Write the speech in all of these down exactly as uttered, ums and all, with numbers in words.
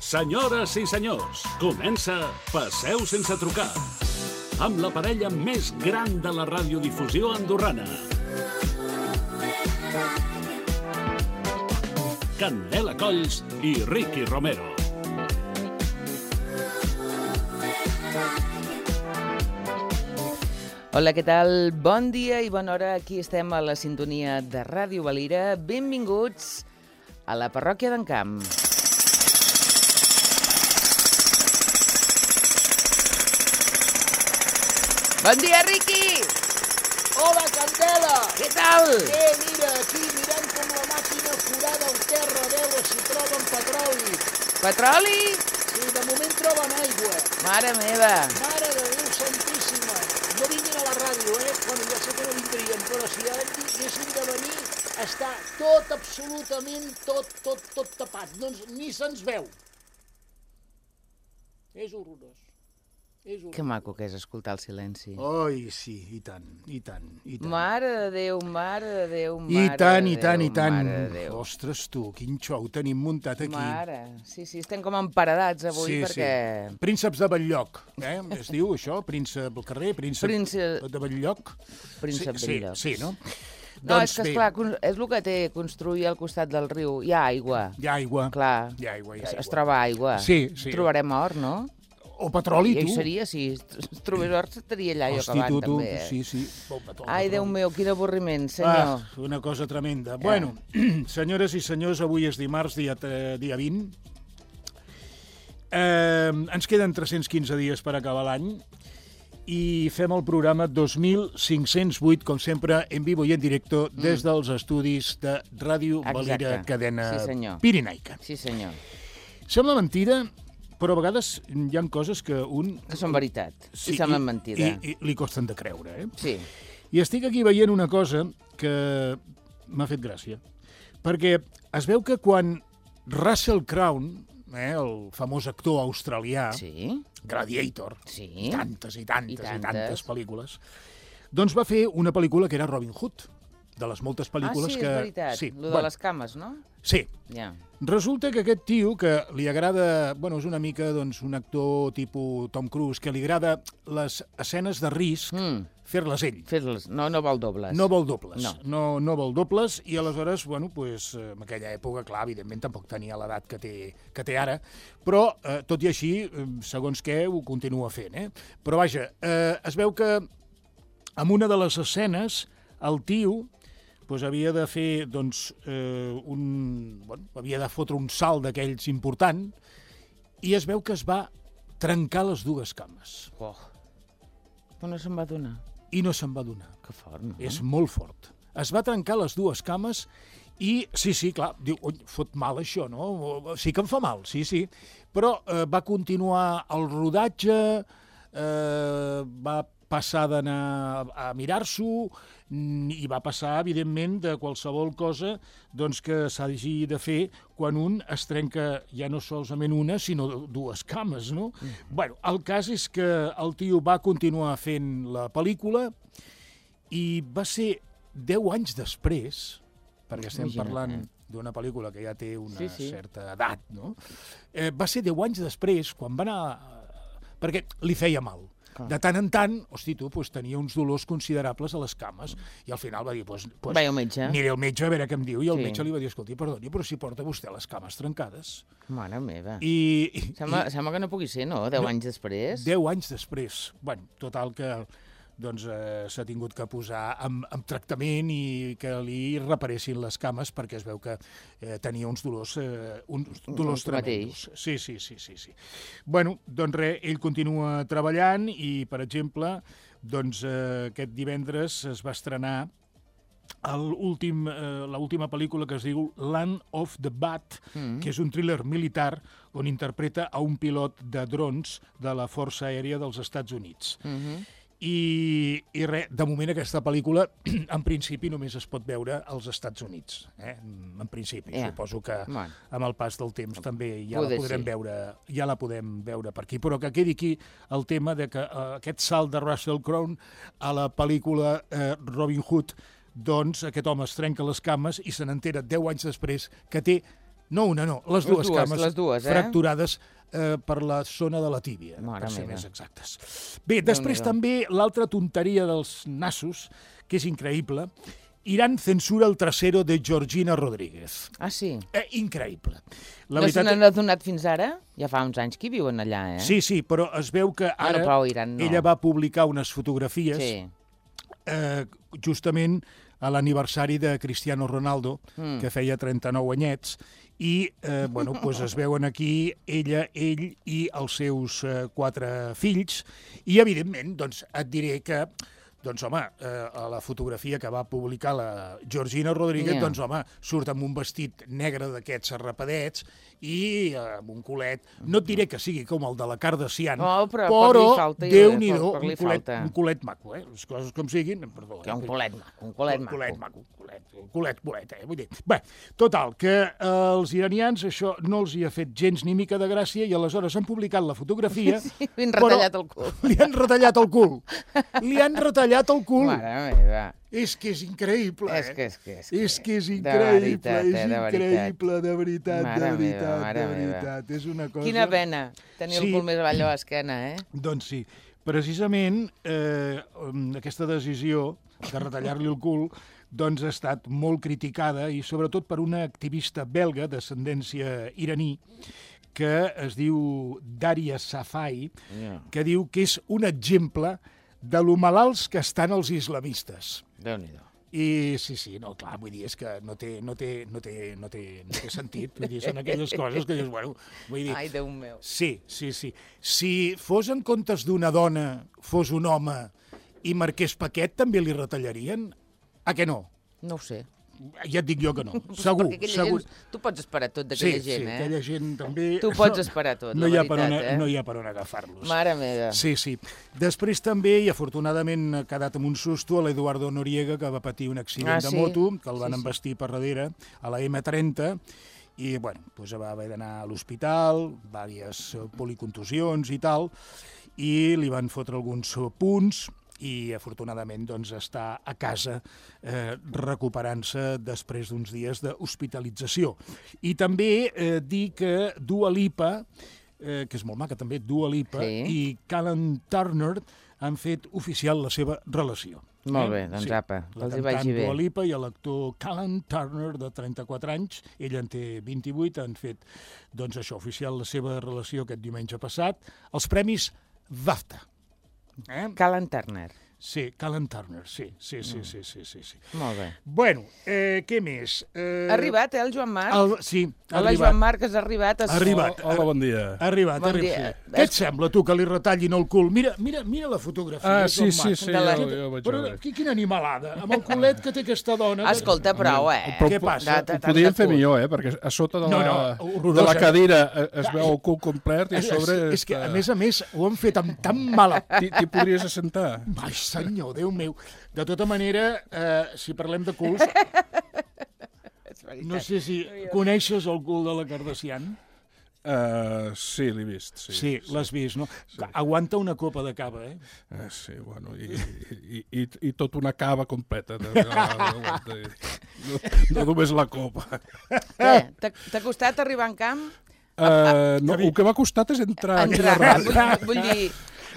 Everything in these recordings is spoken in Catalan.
Senyores i senyors, comença Passeu sense trucar, amb la parella més gran de la radiodifusió andorrana. Candela Colls i Ricky Romero. Hola, què tal? Bon dia i bona hora. Aquí estem a la sintonia de Ràdio Valira. Benvinguts a la parròquia d'en Camp. Bon dia, Ricky! Hola, Candela! Què tal? Bé, mira, aquí mirant com la màquina forada el terra a veure si troben petroli. Petroli? Sí, de moment troben aigua. Mare meva! Mare de Déu santíssima! No vinguin a la ràdio, eh? Bueno, ja sé que no vindrien, però si ara haguessin de venir, està tot, absolutament, tot, tot, tot tapat. No, ni se'ns veu. És horrorós. És horrorós. Que maco que és escoltar el silenci. Oi, sí, i tant, i tant, i tant. Mare de Déu, mare de Déu, I mare tant, de i tant, Déu, i tant. mare de Déu. Ostres, tu, quin xou tenim muntat aquí. Mare, sí, sí, estem com emparedats avui Sí, perquè... sí. Prínceps de Batllloc, eh? Es diu això? Príncep del carrer, príncep Príncep- de Batllloc? Príncep sí, de Batllloc. Sí, sí, no? No, és que, bé, esclar, con- és el que té construir al costat del riu. Hi ha aigua, hi ha aigua. clar. Hi ha aigua, hi ha Es, aigua. es troba aigua. Sí, sí. Trobarem or, no? O petroli, I tu. hi seria, si es trobés or, estaria allà jo Hosti, acabant, tu, tu, també. Eh? sí, sí. O petroli, Ai, Déu petroli. meu, quin avorriment, senyor. Ah, una cosa tremenda. Bueno, senyores i senyors, avui és dimarts, dia, eh, dia vint. Eh, ens queden tres-cents quinze dies per acabar l'any i fem el programa dos mil cinc-cents vuit, com sempre, en vivo i en directo, des dels estudis de Ràdio Valira, Exacte. cadena Sí, senyor. pirinaica. Sí, senyor. Sembla mentida, però a vegades hi ha coses que un... Que són veritat. Sí, I semblen mentida. I, i li costen de creure, eh? Sí. I estic aquí veient una cosa que m'ha fet gràcia. Perquè es veu que quan Russell Crowe, eh, el famós actor australià, Sí. Gladiator, Sí. tantes i tantes I i tantes. tantes pel·lícules, doncs va fer una pel·lícula que era Robin Hood, de les moltes Ah, pel·lícules sí, que... és veritat. Sí, Lo de bueno, les cames, no? sí. Ja. Resulta que aquest tio, que li agrada... Bueno, és una mica doncs, un actor tipus Tom Cruise, que li agrada les escenes de risc, Mm. fer-les ell. Fer-les. No, no vol dobles. No vol dobles. No. No, no vol dobles, i aleshores, bueno, pues, eh, en aquella època, clar, evidentment tampoc tenia l'edat que té, que té ara, però, eh, tot i així, eh, segons què, ho continua fent, eh? Però, vaja, eh, es veu que en una de les escenes, el tio pues, havia de fer, doncs, eh, un... Bueno, havia de fotre un salt d'aquells important, i es veu que es va trencar les dues cames. Oh. Però no se'n va donar. I no se'n va donar. Que fort, no? És molt fort. Es va trencar les dues cames i, sí, sí, clar, diu, oi, fot mal això, no? Sí que em fa mal, sí, sí. Però eh, va continuar el rodatge, eh, va passar d'anar a mirar-s'ho i va passar, evidentment, de qualsevol cosa doncs, que s'hagi de fer quan un es trenca ja no solament una, sinó dues cames, no? Mm. Bueno, el cas és que el tio va continuar fent la pel·lícula i va ser deu anys després, perquè estem Imagina't, parlant eh? d'una pel·lícula que ja té una Sí, sí. certa edat, no? Eh, va ser deu anys després, quan va anar... Perquè li feia mal. De tant en tant, hosti, tu, pues, tenia uns dolors considerables a les cames, i al final va dir, pues, pues, Vaig al metge. aniré al metge a veure què em diu, i el Sí. metge li va dir, escolti, perdoni, però si porta vostè les cames trencades. Mare meva. I, i, Sembla, i sembla que no pugui ser, no? Deu No. anys després. deu anys després, bueno, total que doncs, eh, s'ha tingut que posar amb, amb tractament i que li reparessin les cames perquè es veu que eh, tenia uns dolors, eh, uns dolors Tu tremendos. Sí, sí, sí, sí, sí. Bueno, doncs res, ell continua treballant i, per exemple, doncs, eh, aquest divendres es va estrenar l'últim, eh, l'última pel·lícula que es diu Land of the Bad, mm. que és un thriller militar on interpreta a un pilot de drons de la Força Aèria dels Estats Units. Mm -hmm. I, i res, de moment aquesta pel·lícula en principi només es pot veure als Estats Units, eh? En principi. Ja. Suposo que Bueno. amb el pas del temps també ja Poder la podrem sí. veure, ja la podem veure per aquí, però que quedi aquí el tema de que eh, aquest salt de Russell Crowe a la pel·lícula eh, Robin Hood, doncs aquest home es trenca les cames i se n'entera deu anys després que té No una, no, les dues, les dues cames les dues, eh? fracturades eh, per la zona de la tíbia, Mare per ser meva. més exactes. Bé, després també l'altra tonteria dels nassos, que és increïble, Irán censura el trasero de Georgina Rodríguez. Ah, sí? Eh, increïble. La No veritat... se n'han adonat fins ara? Ja fa uns anys que hi viuen allà, eh? Sí, sí, però es veu que ara no, però Iran no. ella va publicar unes fotografies Sí. eh, justament a l'aniversari de Cristiano Ronaldo, Mm. que feia trenta-nou anyets, i eh, bueno, doncs es veuen aquí ella, ell i els seus eh, quatre fills, i evidentment doncs, et diré que doncs, home, eh, a la fotografia que va publicar la Georgina Rodríguez, Yeah. doncs, home, surt amb un vestit negre d'aquests arrapadets i eh, amb un culet. No et diré que sigui com el de la Kardashian, Oh, però però poc li falta, jo, Déu-n'hi-do, poc li un, culet, falta. un culet maco, eh? Les coses com siguin, perdó. Que un eh? culet maco, un culet Un maco. culet maco, un culet, un culet, culet, eh? Vull dir, bé, total, que eh, els iranians això no els hi ha fet gens ni mica de gràcia i aleshores han publicat la fotografia. Sí, li han però retallat el cul. Li han retallat el cul. Li han retallat el cul. Mare meva. És que és increïble, eh? És que és que és. És que és De increïble, veritat, és eh, de veritat. increïble, de veritat, Mare de meva, veritat, mare de meva. veritat. És una cosa... Quina pena tenir Sí. el cul més avall de l'esquena, eh? Doncs sí. Precisament eh, aquesta decisió de retallar-li el cul doncs ha estat molt criticada i sobretot per una activista belga d'ascendència iraní que es diu Daria Safai, Yeah. que diu que és un exemple de lo malalts que estan els islamistes. Déu-n'hi-do. I sí, sí, no, clar, vull dir, és que no té, no té, no té, no té, no té sentit. Vull dir, són aquelles coses que dius, bueno, vull dir... Ai, Déu meu. Sí, sí, sí. Si fos en comptes d'una dona, fos un home i marqués paquet, també li retallarien? A què no? No ho sé. Ja et dic jo que no. Segur, Perquè aquella segur. gent... Tu pots esperar tot Sí, d'aquella sí, gent, eh? aquella gent també... Tu pots esperar tot, no la hi ha per veritat, on, eh? No hi ha per on agafar-los. Mare meva. Sí, sí. Després també, i afortunadament ha quedat amb un susto, a l'Eduardo Noriega, que va patir un accident Ah, de sí? moto, que el van Sí, sí. embestir per darrere, a la ema trenta, i bueno, doncs va haver d'anar a l'hospital, diverses policontusions i tal, i li van fotre alguns punts, i afortunadament doncs, està a casa eh, recuperant-se després d'uns dies d'hospitalització. I també eh, dir que Dua Lipa, eh, que és molt maca també, Dua Lipa Sí. i Callum Turner han fet oficial la seva relació. Molt bé, doncs apa, que La els hi cantant vagi bé. Dua Lipa i l'actor Callum Turner, de trenta-quatre anys, ell en té vint-i-vuit, han fet doncs, això oficial la seva relació aquest diumenge passat, els premis BAFTA. Eh? Callum Turner. Sí, Callum Turner, sí, sí, sí, sí, sí, sí, sí. Molt bé. Bueno, eh, què més? Eh, Ha arribat, eh, el Joan Marc? El, sí, ha Hola, arribat. Joan Marc, has arribat. Has... Ha arribat. Hola, bon dia. Ha arribat, Bon ha arribat. dia. Sí. Què et sembla, tu, que li retallin el cul? Mira, mira, mira la fotografia. Ah, sí, Joan sí, Marc. sí, De la- jo, jo ho vaig Però veure. qui- quina animalada, amb el culet que té aquesta dona. que- Escolta, prou, eh? Però Què passa? De- de- Ho podíem fer cul. millor, eh? Perquè a sota de No, la, no, horrorosa. de la cadira eh, es veu el cul complet i a És, sobre... és que, a està- més a més, ho han fet amb tan mala... T'hi t'hi podries assentar? Ai, senyor, Déu meu. De tota manera, eh, si parlem de culs, És veritat. no sé si coneixes el cul de la Kardashian. Uh, sí, l'he vist. Sí, Sí, l'has vist, no? Aguanta una copa de cava, eh? Uh, sí, bueno, i, i, i, i tot una cava completa. No, no, no, no només la copa. Què? T'ha t'ha costat arribar en camp? Uh, no, el que m'ha costat és entrar aquí a la Entrar, ràdio. vull, vull dir...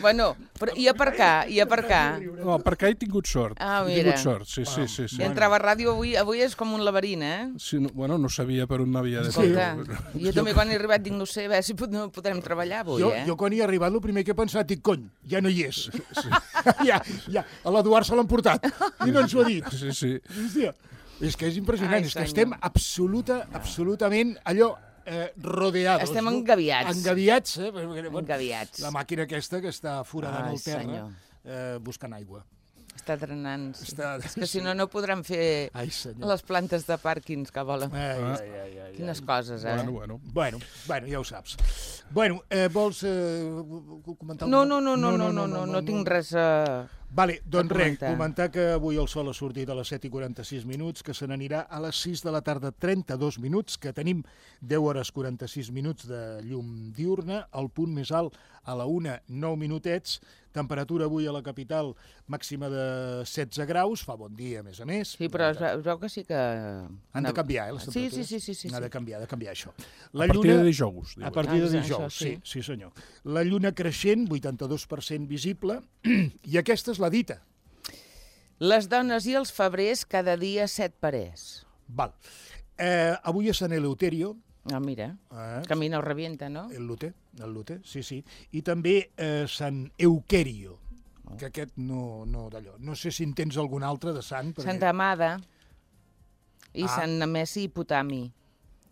Bueno, però, i aparcar, i aparcar. No, perquè he tingut sort. Ah, he mira. tingut sort, sí, sí, sí. sí. I entrava a ràdio avui, avui és com un laberint, eh? Sí, no, bueno, no sabia per on havia de Escolta, fer. jo també quan he arribat dic, no sé, a veure si pod- no podrem treballar avui, Jo, eh? jo quan hi he arribat, el primer que he pensat, dic, cony, ja no hi és. Sí. ja, ja, a l'Eduard se l'han portat. I no ens ho ha dit. Sí, sí. Hòstia, és que és impressionant, Ai, és que senyor. estem absoluta, absolutament allò eh, rodeados. Estem no? engaviats. Engaviats, eh? Perquè, bueno, Engaviats. La màquina aquesta que està foradant Ai, el terra senyor. eh, buscant aigua. Està drenant. Sí. Està- És que si no, no podran fer Ai, senyor. les plantes de pàrquings que volen. Ai, ai, ai, ai, Quines ai. coses, eh? Bueno, bueno. Bueno, bueno, ja ho saps. Bueno, eh, vols eh, comentar No, alguna- no, no, no, no, no, no, no tinc res a... Vale, doncs A res, comentar. comentar que avui el sol ha sortit a les set i quaranta-sis minuts, que se n'anirà a les sis de la tarda, trenta-dos minuts, que tenim deu hores quaranta-sis minuts de llum diurna, el punt més alt a la una, nou minutets, temperatura avui a la capital màxima de setze graus, fa bon dia, a més a més. Sí, però es veu, es veu que sí que... Han de canviar, eh, les Sí, temperatures. sí, sí, sí, sí, Ha de sí. canviar, ha de canviar això. A partir de dijous, A diuen. partir de Ah, això, dijous, sí, sí. sí senyor. La lluna creixent, vuitanta-dos per cent visible, i aquesta és la dita. Les dones i els febrers, cada dia set parers. Val. Eh, avui és Sant Eleuterio, Ah, mira, eh, camina o revienta, no? el Lute, el Lute, sí, sí, i també eh, Sant Euquerio, que aquest no, no d'allò. No sé si en tens algun altre de sant. Perquè... Santa Amada i Ah. Sant Nemesi Potami.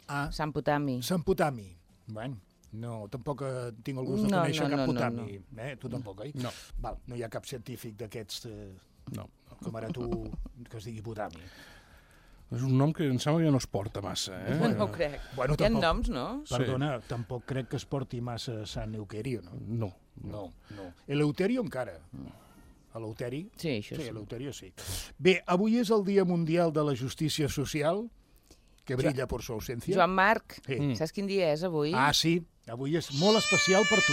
Ah, Sant Potami. Sant Potami. Bueno, no, tampoc eh, tinc el gust de No, conèixer no, cap no, no, Potami. Eh? Tu tampoc, oi? No. Val, no hi ha cap científic d'aquests, eh, No. com ara tu, que es digui Potami. És un nom que em sembla que no es porta massa, eh? No ho crec. Bueno, Hi ha tampoc- noms, no? Sí. Perdona, tampoc crec que es porti massa Sant Euquerio, no? No. No, no. Eleuterio encara. Eleuteri? Sí, això Sí, sí. Eleuterio sí. Bé, avui és el Dia Mundial de la Justícia Social, que brilla per su ausència. Joan Marc, Sí. Mm. saps quin dia és avui? Ah, sí, avui és molt especial per tu.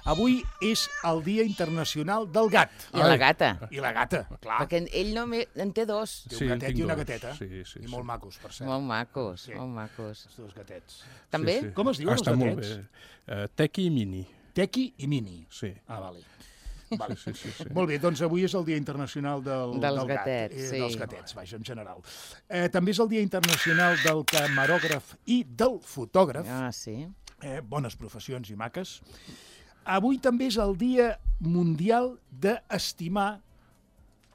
Avui és el Dia Internacional del Gat. I la gata. I la gata, clar. Perquè ell no me... en té dos. Té Sí, un en gatet tinc i una dos. gateta. Sí, sí, I sí. molt macos, per cert. Molt macos, Sí. molt macos. Els dos gatets. També? Sí, sí. Com es diuen ah, els està molt gatets? bé. Uh, Tequi i Mini. Tequi i Mini. Sí. Ah, vale. Vale. Sí, sí, sí. Molt bé, doncs avui és el Dia Internacional del, Dels del gat, gatets, eh, sí. dels gatets, vaja, en general. Eh, també és el Dia Internacional del Camarògraf i del Fotògraf, Ah, sí. eh, bones professions i maques. Avui també és el Dia Mundial d'estimar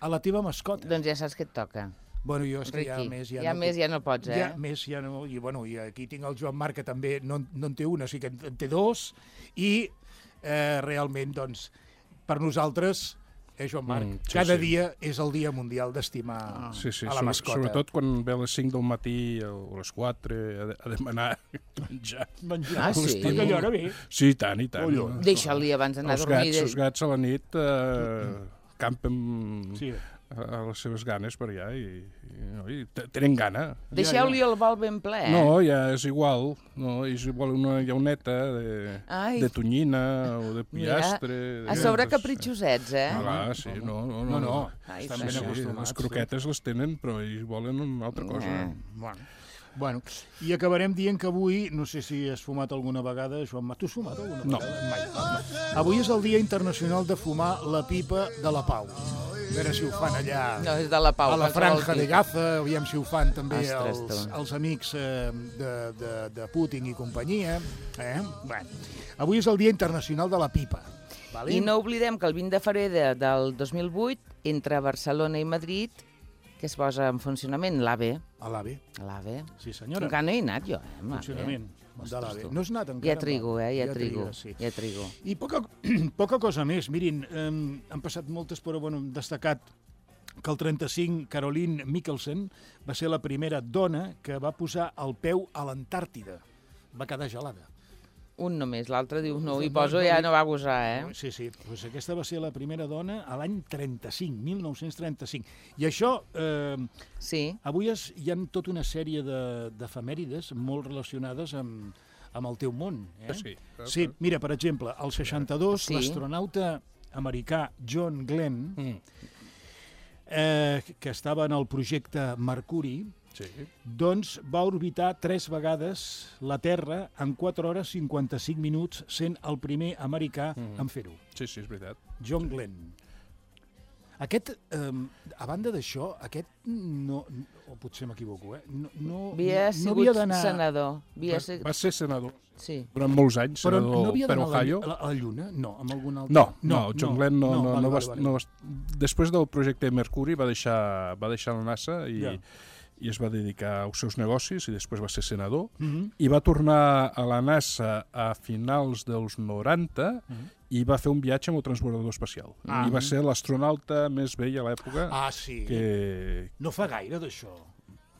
a la teva mascota. Doncs ja saps què et toca. Bueno, jo és que ja Riqui, més... Ja, ja no més puc- ja no pots, eh? Ja més ja no... I, bueno, i aquí tinc el Joan Marc, que també no, no en té una, o sigui que en, en té dos, i eh, realment, doncs, per nosaltres, eh, Joan Marc, Mm, sí, cada sí. dia és el dia mundial d'estimar Sí, sí, a la sobre- mascota. sobretot quan ve a les cinc del matí o a les quatre a, de- a demanar menjar. Menjar. Ah, sí? Perquè allò ara ve. Sí, i tant, i tant. Collons. Deixa-li abans d'anar a Els dormir. gats, els gats a la nit eh, campen Sí. a, a les seves ganes per allà i, i, no, i te- tenen gana. Deixeu-li el bol ben ple, eh? No, ja és igual. No, és igual una llauneta de, Ai. de tonyina o de Mira, pillastre. a sobre capritxosets, eh? Ah, clar, sí, no, no, No, no. no, Ai, estan sí, ben sí, acostumats. Les croquetes les tenen, però ells volen una altra cosa. Eh. Bueno. Bueno, i acabarem dient que avui, no sé si has fumat alguna vegada, Joan Marc, tu has fumat alguna No. vegada? Mai. No. Avui és el Dia Internacional de fumar la pipa de la pau. A veure si ho fan allà No, és de la Pau. a la qualsevol Franja de tipus. Gaza, aviam si ho fan també Ostres, els, tu. els amics eh, de, de, de Putin i companyia. Eh? Bueno, avui és el Dia Internacional de la pipa. Vale? I no oblidem que el vint de febrer de, del dos mil vuit, entre Barcelona i Madrid, que es posa en funcionament l'AVE. A l'AVE, L'AVE. sí senyora. Encara no hi he anat jo, eh? amb l'AVE. Funcionament de l'AVE. tu. No has anat encara? Ja trigo, eh? Ja, Ja trigo. trigues, sí. Ja trigo. I poca, poca cosa més. Mirin, eh, han passat moltes, però bueno, hem destacat que el trenta-cinc Caroline Mikkelsen va ser la primera dona que va posar el peu a l'Antàrtida. Va quedar gelada. Un només, l'altre diu no, hi No, poso, no, ja no. no va gosar, eh? Sí, sí, doncs aquesta va ser la primera dona a l'any trenta-cinc, mil nou-cents trenta-cinc. I això, eh, Sí. avui es, hi ha tota una sèrie de- d'efemèrides molt relacionades amb, amb el teu món. Eh? Ah, sí? Sí, mira, per exemple, al seixanta-dos, Sí. l'astronauta americà John Glenn, Mm, eh, que estava en el projecte Mercuri, sí. doncs va orbitar tres vegades la Terra en quatre hores cinquanta-cinc minuts, sent el primer americà Mhm. en fer-ho. Sí, sí, és veritat. John Glenn. Aquest, eh, a banda d'això, aquest no, o potser m'equivoco, eh? no, no, Havia no sigut havia d'anar... senador. Havia Va, sigut... va ser senador Sí. durant molts anys, Però senador no havia per d'anar a la, Ohio. a, la, a la Lluna? No, amb algun altre... No, no, John Glenn no, no, vale, no, va, vale, vale. no va... Després del projecte Mercury va deixar, va deixar la NASA i, Ja. i es va dedicar als seus negocis i després va ser senador Mhm. i va tornar a la NASA a finals dels noranta Mhm. i va fer un viatge amb el transbordador espacial. Ah. I va ser l'astronauta més vell a l'època Ah, sí. que... No fa gaire d'això.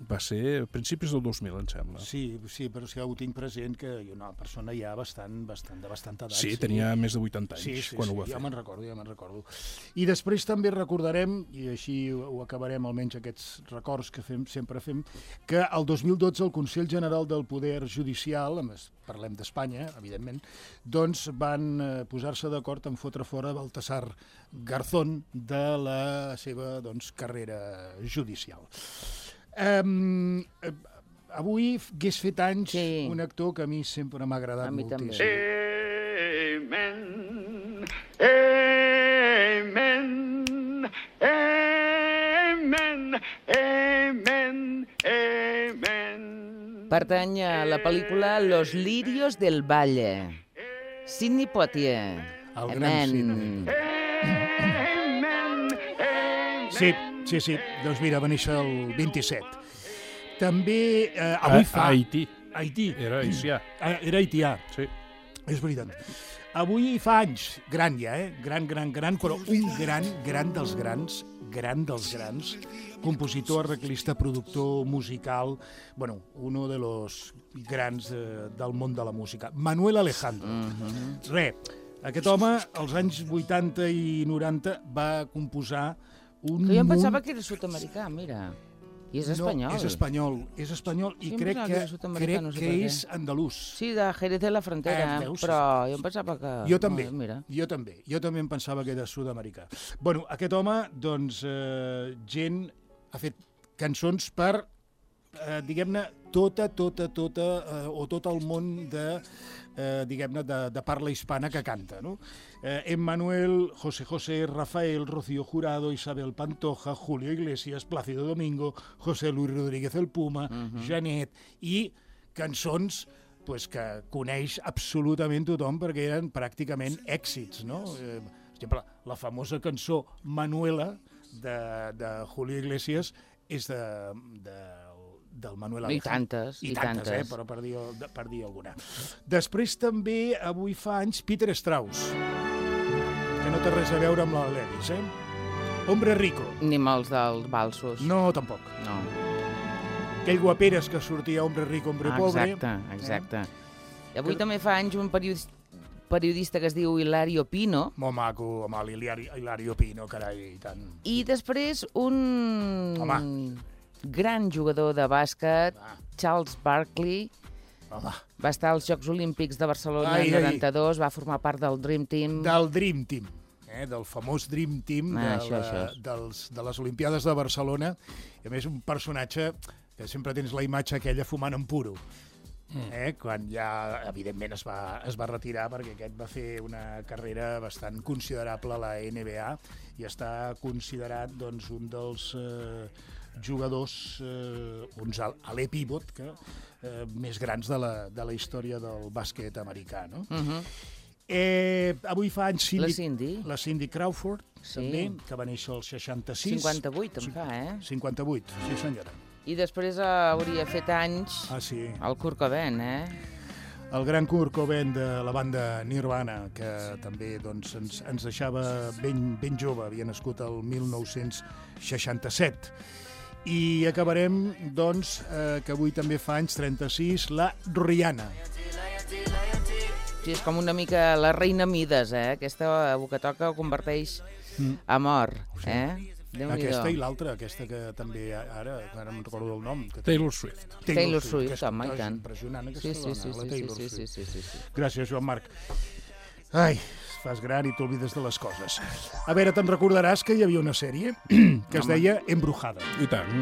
Va ser a principis del dos mil, em sembla. Sí, sí, però sí, ho tinc present que hi ha una persona ja bastant, bastant, de bastanta edat. Sí, tenia més de vuitanta anys sí, sí, quan sí, ho va ja fer. me'n recordo, ja me'n recordo. I després també recordarem, i així ho acabarem almenys aquests records que fem, sempre fem, que el dos mil dotze el Consell General del Poder Judicial, a més parlem d'Espanya, evidentment, doncs van posar-se d'acord en fotre fora Baltasar Garzón de la seva doncs, carrera judicial. Um, avui hagués fet anys sí. un actor que a mi sempre m'ha agradat a mi moltíssim. Amen, amen, amen, amen, amen. Pertany a la pel·lícula Los lirios del valle. Sidney Poitier. El gran Sidney. Sí, sí, sí. Doncs mira, va néixer el vint-i-set. També eh, avui fa... A Haití. Haití. Era haitià. Era haitià. Sí. És veritat. Avui fa anys, gran ja, eh? Gran, gran, gran, però un gran, gran dels grans, gran dels grans, compositor, arreglista, productor, musical, bueno, uno de los grans eh, del món de la música. Manuel Alejandro. Mm-hmm. Re, aquest home, als anys vuitanta i noranta, va composar un Que jo em munt... pensava que era sud-americà, mira. I és espanyol. No, és espanyol, és espanyol i Sí, em crec pensava que, que era sud-americà, crec no sé que per què. és andalús. Sí, de Jerez de la Frontera, Eh, veus? però jo em pensava que... Jo també, No, mira. jo també, jo també em pensava que era sud-americà. Bueno, aquest home, doncs, eh, gent ha fet cançons per, eh, diguem-ne, tota, tota, tota, eh, o tot el món de, eh, diguem-ne, de, de parla hispana que canta, no? Eh, Emmanuel, José José, Rafael, Rocío Jurado, Isabel Pantoja, Julio Iglesias, Plácido Domingo, José Luis Rodríguez el Puma, uh-huh. Janet, i cançons pues, que coneix absolutament tothom perquè eren pràcticament èxits, no? Eh, per exemple, la famosa cançó Manuela de, de Julio Iglesias és de, de, del Manuel I Alejandro. tantes, I i tantes, tantes. eh? Però per dir, per dir alguna. Després també, avui fa anys, Peter Strauss, que no té res a veure amb la Lewis, eh? Hombre Rico. Ni amb els dels balsos. No, tampoc. No. Aquell guaperes que sortia Hombre Rico, Hombre Ah, Pobre. exacte, exacte. I avui Que- també fa anys un periodista, periodista que es diu Hilario Pino, Molt maco, amb el Hilario, Hilario Pino, carai, i tant. i després un Home. gran jugador de bàsquet, Va. Charles Barkley, Home, va estar als Jocs Olímpics de Barcelona Ai, en ai. noranta-dos, va formar part del Dream Team. del Dream Team, eh? del famós Dream Team Ah, de, això, la, això. dels, de les Olimpiades de Barcelona. I a més, un personatge que sempre tens la imatge aquella fumant en puro. Eh? Quan ja, evidentment, es va, es va retirar perquè aquest va fer una carrera bastant considerable a la N B A i està considerat doncs, un dels eh, jugadors, eh, uns alè pivot que, eh, més grans de la, de la història del bàsquet americà. No? Uh-huh. Eh, avui fa anys Cindy, La Cindy. la Cindy Crawford, Sí. també, que va néixer al seixanta-sis. cinquanta-vuit en fa, eh? cinquanta-vuit, sí senyora. I després hauria fet anys Ah, sí. el Kurt Cobain, eh? El gran Kurt Cobain de la banda Nirvana, que també doncs, ens, ens deixava ben, ben jove, havia nascut el mil nou-cents seixanta-set. I acabarem, doncs, eh, que avui també fa anys trenta-sis, la Rihanna. Sí, és com una mica la reina Mides, eh? Aquesta que toca ho converteix en or, eh? Déu-n'hi-do. Aquesta i l'altra, aquesta que també ara, ara em recordo el nom. Que Taylor Swift. Taylor Swift, aquesta, home, i és tant. Impressionant, aquesta Sí, sí, dona, sí, la sí, sí, Taylor sí, Swift. sí, sí, sí. Gràcies, Joan Marc. Ai, fas gran i t'oblides de les coses. A veure, te'n recordaràs que hi havia una sèrie que es deia Embrujada. I tant.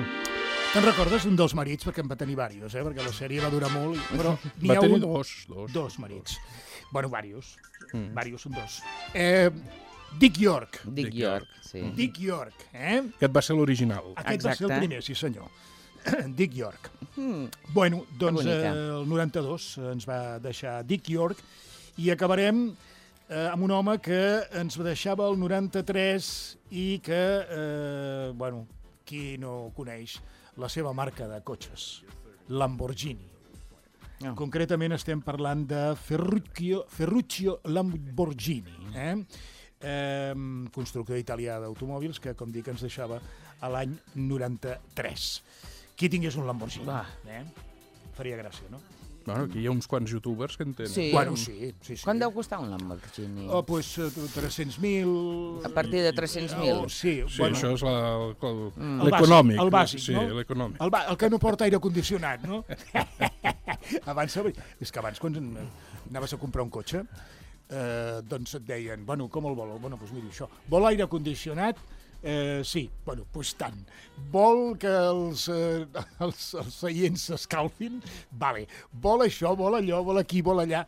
Te'n recordes d'un dels marits? Perquè en va tenir diversos, eh? Perquè la sèrie va durar molt, i- però n'hi Va ha tenir un... dos. Dos, Dos marits. Bueno, varios. Mm. Varios són dos. Eh, Dick York. Dick Dick York, sí. Dick York, eh? Aquest va ser l'original. Aquest va ser el Exacte. primer, sí senyor. Dick York. Mm. Bueno, doncs eh, bonica. el noranta-dos ens va deixar Dick York i acabarem eh, amb un home que ens deixava el noranta-tres i que, eh, bueno, qui no coneix la seva marca de cotxes, Lamborghini. No. Concretament estem parlant de Ferruccio, Ferruccio Lamborghini, eh? Eh, constructor italià d'automòbils que, com dic, ens deixava a l'any noranta-tres. qui tingués un Lamborghini. Va. Eh? Faria gràcia, no? Bueno, aquí hi ha uns quants youtubers que en tenen. Sí. Bueno, sí, sí, sí. Quant deu costar un Lamborghini? Oh, pues eh, tres-cents mil... A partir de tres-cents mil? Oh, sí, Sí, bueno, això és la- el- el- Mm. l'econòmic. El bàsic, sí, no? l'econòmic. El, ba- el que no porta aire condicionat, no? abans, és que abans, quan anaves a comprar un cotxe, eh, doncs et deien, bueno, com el vol? Bueno, doncs miri, això, vol aire condicionat? Eh, sí, bueno, doncs tant. Vol que els, eh, els, els seients s'escalfin? Vale. Vol això, vol allò, vol aquí, vol allà,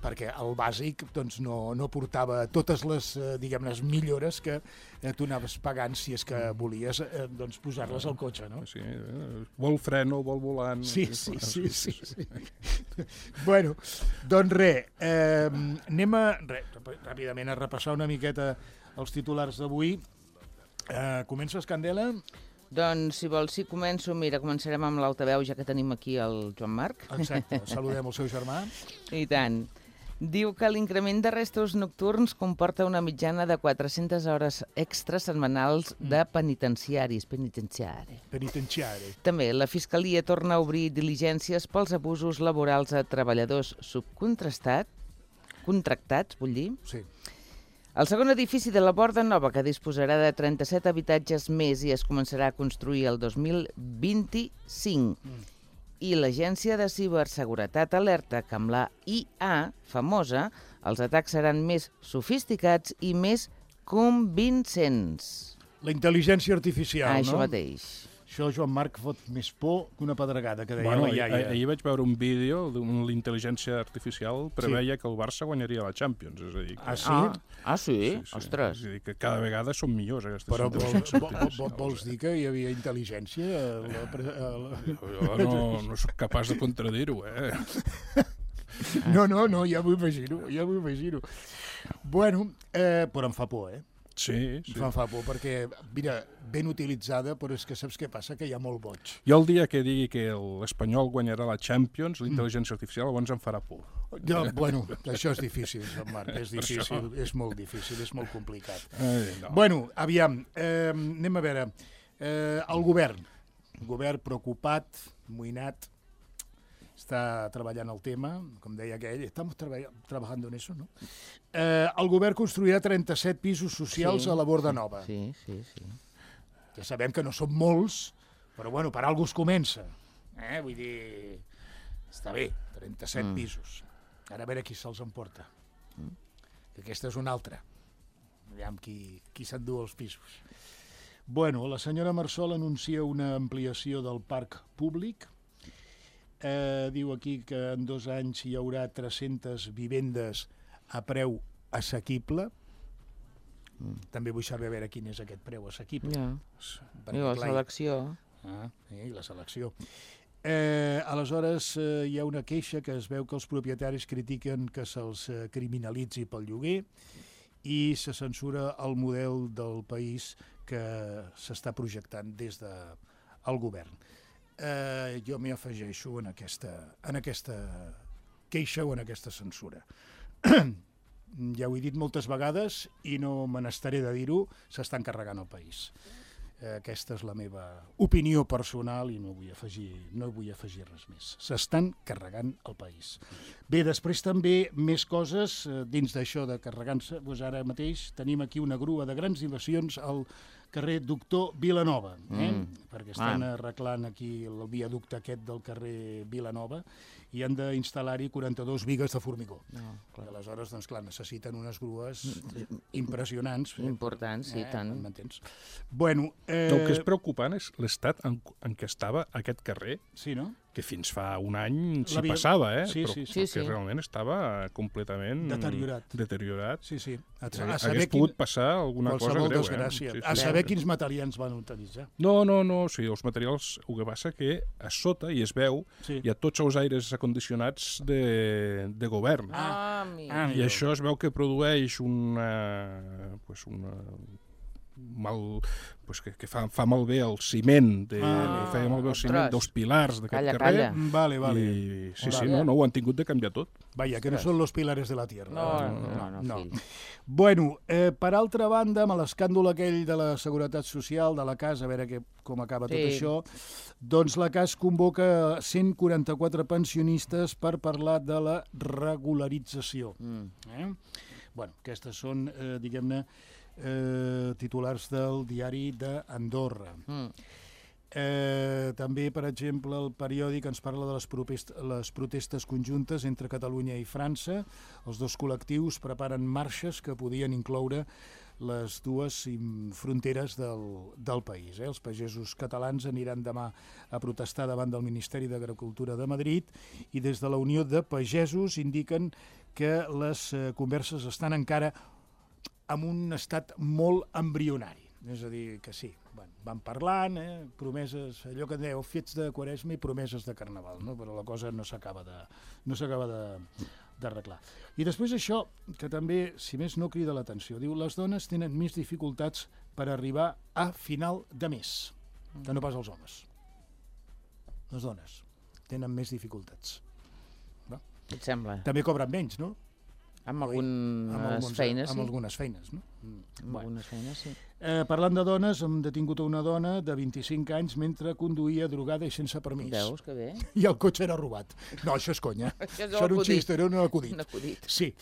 perquè el bàsic doncs, no, no portava totes les, eh, diguem-ne, millores que eh, tu anaves pagant si és que volies eh, doncs, posar-les al cotxe, no? Sí, eh, vol freno, vol volant... Sí, sí, sí, sí, sí. Bueno, doncs res, eh, anem a, re, ràpidament a repassar una miqueta els titulars d'avui. Eh, comences, Candela? Doncs, si vols, si començo, mira, començarem amb l'altaveu, ja que tenim aquí el Joan Marc. Exacte, saludem el seu germà. I tant. Diu que l'increment de restos nocturns comporta una mitjana de quatre-centes hores extres setmanals de penitenciaris. Penitenciari. Penitenciari. També la Fiscalia torna a obrir diligències pels abusos laborals a treballadors subcontractats, contractats, vull dir. Sí. El segon edifici de la Borda Nova, que disposarà de trenta-set habitatges més i es començarà a construir el dos mil vint-i-cinc. Mm. I l'Agència de Ciberseguretat alerta que amb la I A famosa els atacs seran més sofisticats i més convincents. La intel·ligència artificial, Ah, no? això mateix. Això, Joan Marc, fot més por que una pedregada, que deia Bueno, la iaia. ahir, ahir vaig veure un vídeo d'on l'intel·ligència artificial preveia que el Barça guanyaria la Champions. És a dir, que, Ah, sí? Ah, ah sí? sí, sí. Ostres. És a dir, que cada vegada són millors aquestes Però vols, intel·ligències vo- vo- artificials. vols dir que hi havia intel·ligència? A la, pre- a la... Jo no, no soc capaç de contradir-ho, eh? No, no, no, ja m'ho imagino, ja m'ho imagino. Bueno, eh, però em fa por, eh? Sí, sí. Em fa por, perquè, mira, ben utilitzada, però és que saps què passa? Que hi ha molt boig. Jo el dia que digui que l'Espanyol guanyarà la Champions, l'intel·ligència artificial llavors em farà por. Jo, bueno, això és difícil, Joan Marc, és Per difícil, això. és molt difícil, és molt complicat. Ai, no. Bueno, aviam, eh, anem a veure. Eh, el govern, el govern preocupat, amoïnat, està treballant el tema, com deia aquell, estamos treba trabajando en eso, ¿no? Eh, el govern construirà trenta-set pisos socials Sí, a la Borda Nova. Sí, sí, sí. Ja sabem que no són molts, però bueno, per algú es comença. Eh? Vull dir, està bé, trenta-set Mm. pisos. Ara a veure qui se'ls emporta. Mm. Que aquesta és una altra. Aviam qui, qui s'endú els pisos. Bueno, la senyora Marsol anuncia una ampliació del parc públic. Eh, diu aquí que en dos anys hi haurà tres-centes vivendes a preu assequible. Mm. També vull saber a veure quin és aquest preu assequible. Ja. Perquè, I la clar, selecció. Ah, i la selecció. Eh, aleshores, eh, hi ha una queixa que es veu que els propietaris critiquen que se'ls eh, criminalitzi pel lloguer i se censura el model del país que s'està projectant des del de, govern. Eh, jo m'hi afegeixo en aquesta, en aquesta queixa o en aquesta censura. Ja ho he dit moltes vegades i no me n'estaré de dir-ho, s'estan carregant el país. Aquesta és la meva opinió personal i no vull afegir, no vull afegir res més. S'estan carregant el país. Bé, després també més coses dins d'això de carregar-se. Doncs ara mateix tenim aquí una grua de grans dimensions al carrer Doctor Vilanova, eh? Mm. perquè estan ah. arreglant aquí el viaducte aquest del carrer Vilanova i han d'instal·lar-hi quaranta-dues bigues de formigó. No, aleshores, doncs clar, necessiten unes grues impressionants. Importants, sí, eh, tant. M'entens? Bueno, eh... El que és preocupant és l'estat en, en què estava aquest carrer, sí, no? que fins fa un any s'hi L'havia- passava, eh? Sí, però sí, sí. que Sí, sí. realment estava completament Deteriorat. deteriorat. Sí, sí. A, A, a Hagués saber pogut quin... passar alguna cosa qualsevol greu, desgràcia. eh? A saber quins materials van utilitzar. No, no, no, sí, els materials, el que passa que a sota, i es veu, Sí. hi ha tots els aires acondicionats de, de govern. Ah, amic. Ah, I això es veu que produeix una, pues una, mal, pues que, que fa, fa malbé el ciment, de, Ah, feia malbé el ostres. ciment dels pilars d'aquest Calla, carrer. calla. Vale, vale. I, sí, sí, Vale. no, no, ho han tingut de canviar tot. Vaja, que no són los pilares de la tierra. No, no, no, no. fill. Bueno, eh, per altra banda, amb l'escàndol aquell de la Seguretat Social, de la C A S, a veure que, com acaba tot Sí. això, doncs la C A S convoca cent quaranta-quatre pensionistes per parlar de la regularització. Mm. Eh? Bueno, aquestes són, eh, diguem-ne, eh, titulars del diari d'Andorra. Mm. Eh, també, per exemple, el periòdic ens parla de les, propest les protestes conjuntes entre Catalunya i França. Els dos col·lectius preparen marxes que podien incloure les dues fronteres del, del país. Eh? Els pagesos catalans aniran demà a protestar davant del Ministeri d'Agricultura de Madrid i des de la Unió de Pagesos indiquen que les eh, converses estan encara en un estat molt embrionari. És a dir, que sí, bueno, van parlant, eh, promeses, allò que dèieu, fets de Quaresma i promeses de Carnaval, no? Però la cosa no s'acaba de, no s'acaba de, d'arreglar. I després això, que també, si més no, crida l'atenció. Diu, les dones tenen més dificultats per arribar a final de mes, que no pas els homes. Les dones tenen més dificultats. No? Què et sembla? També cobren menys, no? Amb Amb algunes alguns- feines, amb sí. algunes feines, no? Mm. Amb Bueno. algunes feines, sí. Eh, parlant de dones, hem detingut una dona de vint-i-cinc anys mentre conduïa drogada i sense permís. Veus que bé? I el cotxe era robat. No, això és conya. Això és Això era un acudit. xist, era un acudit. Un acudit. Sí.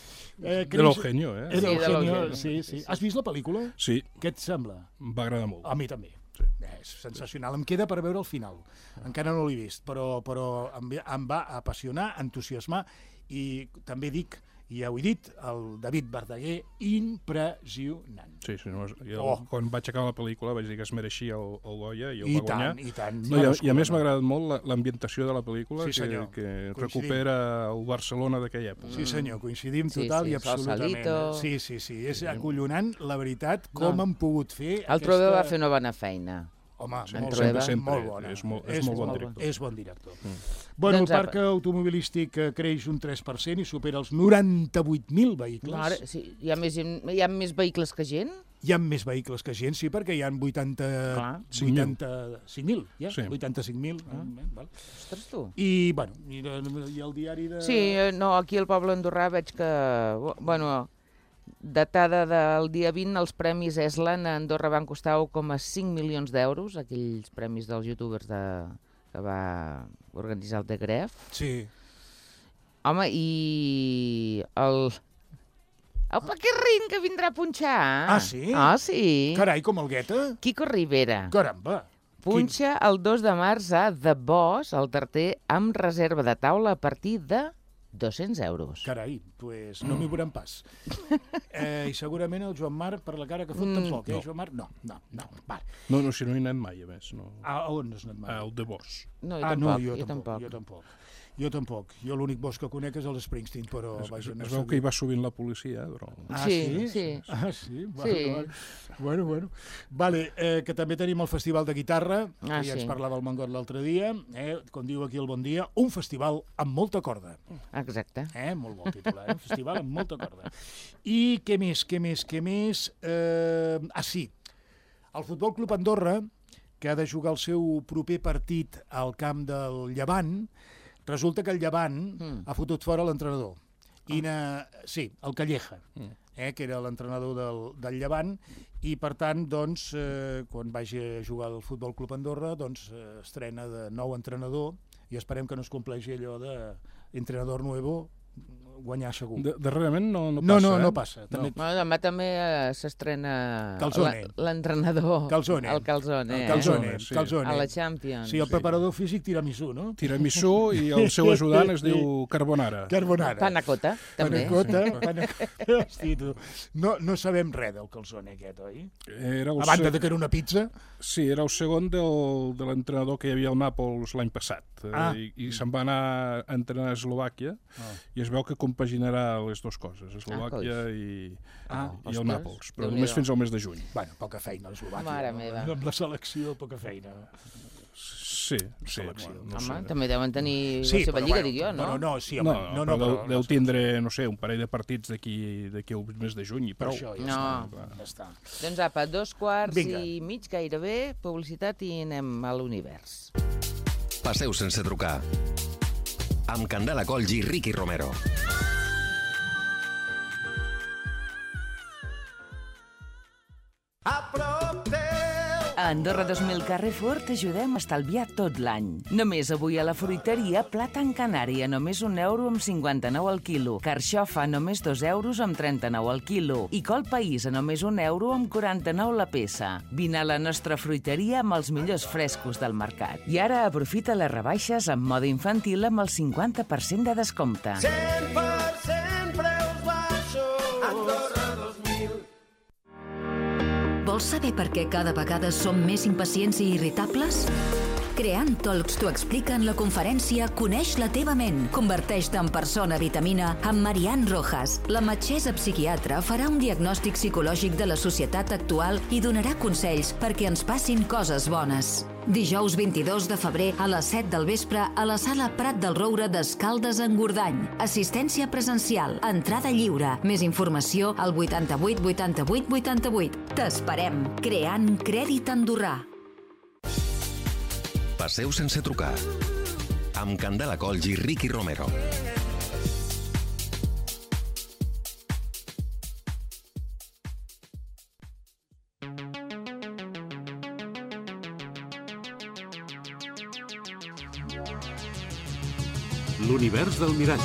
Eh, De l'Eugenio, eh? Era Sí, de Eugenio, l'Eugenio. sí, sí. Has vist la pel·lícula? Sí, Què et sembla? em va agradar molt. A mi també. Sí. Eh, és sensacional. Em queda per veure el final. Encara no l'he vist, però, però em, ve- em va apassionar, entusiasmar i també dic, i ja ho he dit, el David Verdaguer, impressionant. Sí, sí, no, jo, Oh. quan vaig acabar la pel·lícula vaig dir que es mereixia el, el Goya i el I va guanyar. tant, i tant. No, i, a, I a més no. m'ha agradat molt la- l'ambientació de la pel·lícula, Sí, que, senyor. que Coincidim. recupera el Barcelona d'aquella època. Sí, senyor, coincidim Sí, total sí, i absolutament. Sausalito. Sí, sí, sí, és acollonant, la veritat, com No. han pogut fer El Trueba va fer una bona feina. Home, Sí, molt, sempre, bona, sempre. molt bona. És molt- és molt bon director. És bon director. Mm. Bueno, Doncs, el parc automobilístic eh, creix un tres per cent i supera els noranta-vuit mil vehicles. No, ara, sí, hi, ha més, hi ha més vehicles que gent? Hi ha més vehicles que gent, sí, perquè hi ha vuitanta, Clar. vuitanta-cinc mil. Ja? Sí. vuitanta-cinc mil. Ah. Eh, val. Ostres, tu. I, bueno, i, i el diari de... Sí, eh, no, aquí al poble andorrà veig que, bueno, datada del dia vint, els premis Eslan a Andorra van costar un coma cinc milions d'euros, aquells premis dels youtubers de, que va organitzar el de Gref. Sí. Home, i el... El Paquerrín que vindrà a punxar. Ah, sí? Ah, sí. Carai, com el Guetta? Quico Rivera. Caramba. Punxa el dos de març a The Boss, al Tarter, amb reserva de taula a partir de dos-cents euros. Carai, pues no m'hi veuran pas. Eh, I segurament el Joan Marc, per la cara que fot, Mm, tampoc, eh, no. Joan Marc? No, no, no. Va. No, no, si no hi anem mai, a més. No. A, a on has anat mai? El de Bosch. No, jo ah, tampoc, no, jo, jo tampoc, tampoc. jo tampoc. Jo tampoc. Jo l'únic bosc que conec és el Springsteen, però... Es, vaja, es, no es sé veu que hi dir. va sovint la policia, però... Ah, Sí, sí? sí. Ah, sí? Vale, Sí. Vale. Bueno, bueno. Vale, eh, que també tenim el Festival de Guitarra, Ah, que ja ens sí. parlava el Mangot l'altre dia, eh, com diu aquí el Bon Dia, un festival amb molta corda. Exacte. Eh? Molt bon titular, eh? Un festival amb molta corda. I què més, què més, què més? Eh, ah, sí, el Futbol Club Andorra, que ha de jugar el seu proper partit al camp del Llevant, resulta que el Llevant Mm. ha fotut fora l'entrenador. I na... Sí, el Calleja, eh, que era l'entrenador del, del Llevant, i per tant, doncs, eh, quan vagi a jugar al Futbol Club Andorra, doncs, eh, estrena de nou entrenador, i esperem que no es compleixi allò de entrenador nuevo, guanyar segur. De, darrerament no, no No, passa, no, eh? no passa. També... Bueno, demà també eh, s'estrena Calzone. la- l'entrenador. Calzone. El Calzone, El eh? Calzone, Sí. Calzone. A la Champions. Sí, el preparador físic tiramisú, no? Tiramisú i el seu ajudant es diu Carbonara. Carbonara. Panacota, també. Panacota. Panacota. Hosti, tu. No, no sabem res del calzone aquest, oi? Era el A banda se- de que era una pizza. Sí, era el segon del, de l'entrenador que hi havia al Nàpols l'any passat. eh, Ah. I, I se'n va anar a entrenar a Eslovàquia Ah. i es veu que compaginarà les dues coses, Eslovàquia Ah, i, Ah, i el ostres, Nàpols, però Déu-n'hi-do. només fins al mes de juny. Bueno, poca feina, l'Eslovàquia. Mare no? meva. Amb la selecció, poca feina. Sí, sí. Selecció. Bueno, no Home, sé. també deuen tenir Sí, la seva però, lliga, bueno, dic jo, no? Bueno, no, sí, No, home, no, no, no, deu, però... deu tindre, no sé, un parell de partits d'aquí d'aquí al mes de juny i Per prou. això ja No. està. Ja està. Doncs apa, dos quarts Vinga. i mig gairebé, publicitat i anem a l'univers. Passeu sense trucar. Amb Candela Colls i Ricky Romero. A Andorra dos mil Carrefour t'ajudem a estalviar tot l'any. Només avui a la fruiteria, plàtan canari a només un euro amb cinquanta-nou al quilo, carxofa a només dos euros amb trenta-nou al quilo i col país a només un euro amb quaranta-nou la peça. Vine a la nostra fruiteria amb els millors frescos del mercat. I ara aprofita les rebaixes en mode infantil amb el cinquanta per cent de descompte. cent per cent preus baixos. Andorra dos mil. Vols saber per què cada vegada som més impacients i irritables? Creant Talks t'ho explica en la conferència Coneix la teva ment. Converteix-te en persona vitamina amb Marianne Rojas. La metgessa psiquiatra farà un diagnòstic psicològic de la societat actual i donarà consells perquè ens passin coses bones. Dijous vint-i-dos de febrer a les set del vespre a la sala Prat del Roure d'Escaldes en Gordany. Assistència presencial, entrada lliure. Més informació al vuitanta-vuit vuitanta-vuit vuitanta-vuit. T'esperem. Creant crèdit andorrà. Passeu sense trucar. Amb Candela Colls i Ricky Romero. L'univers del mirall.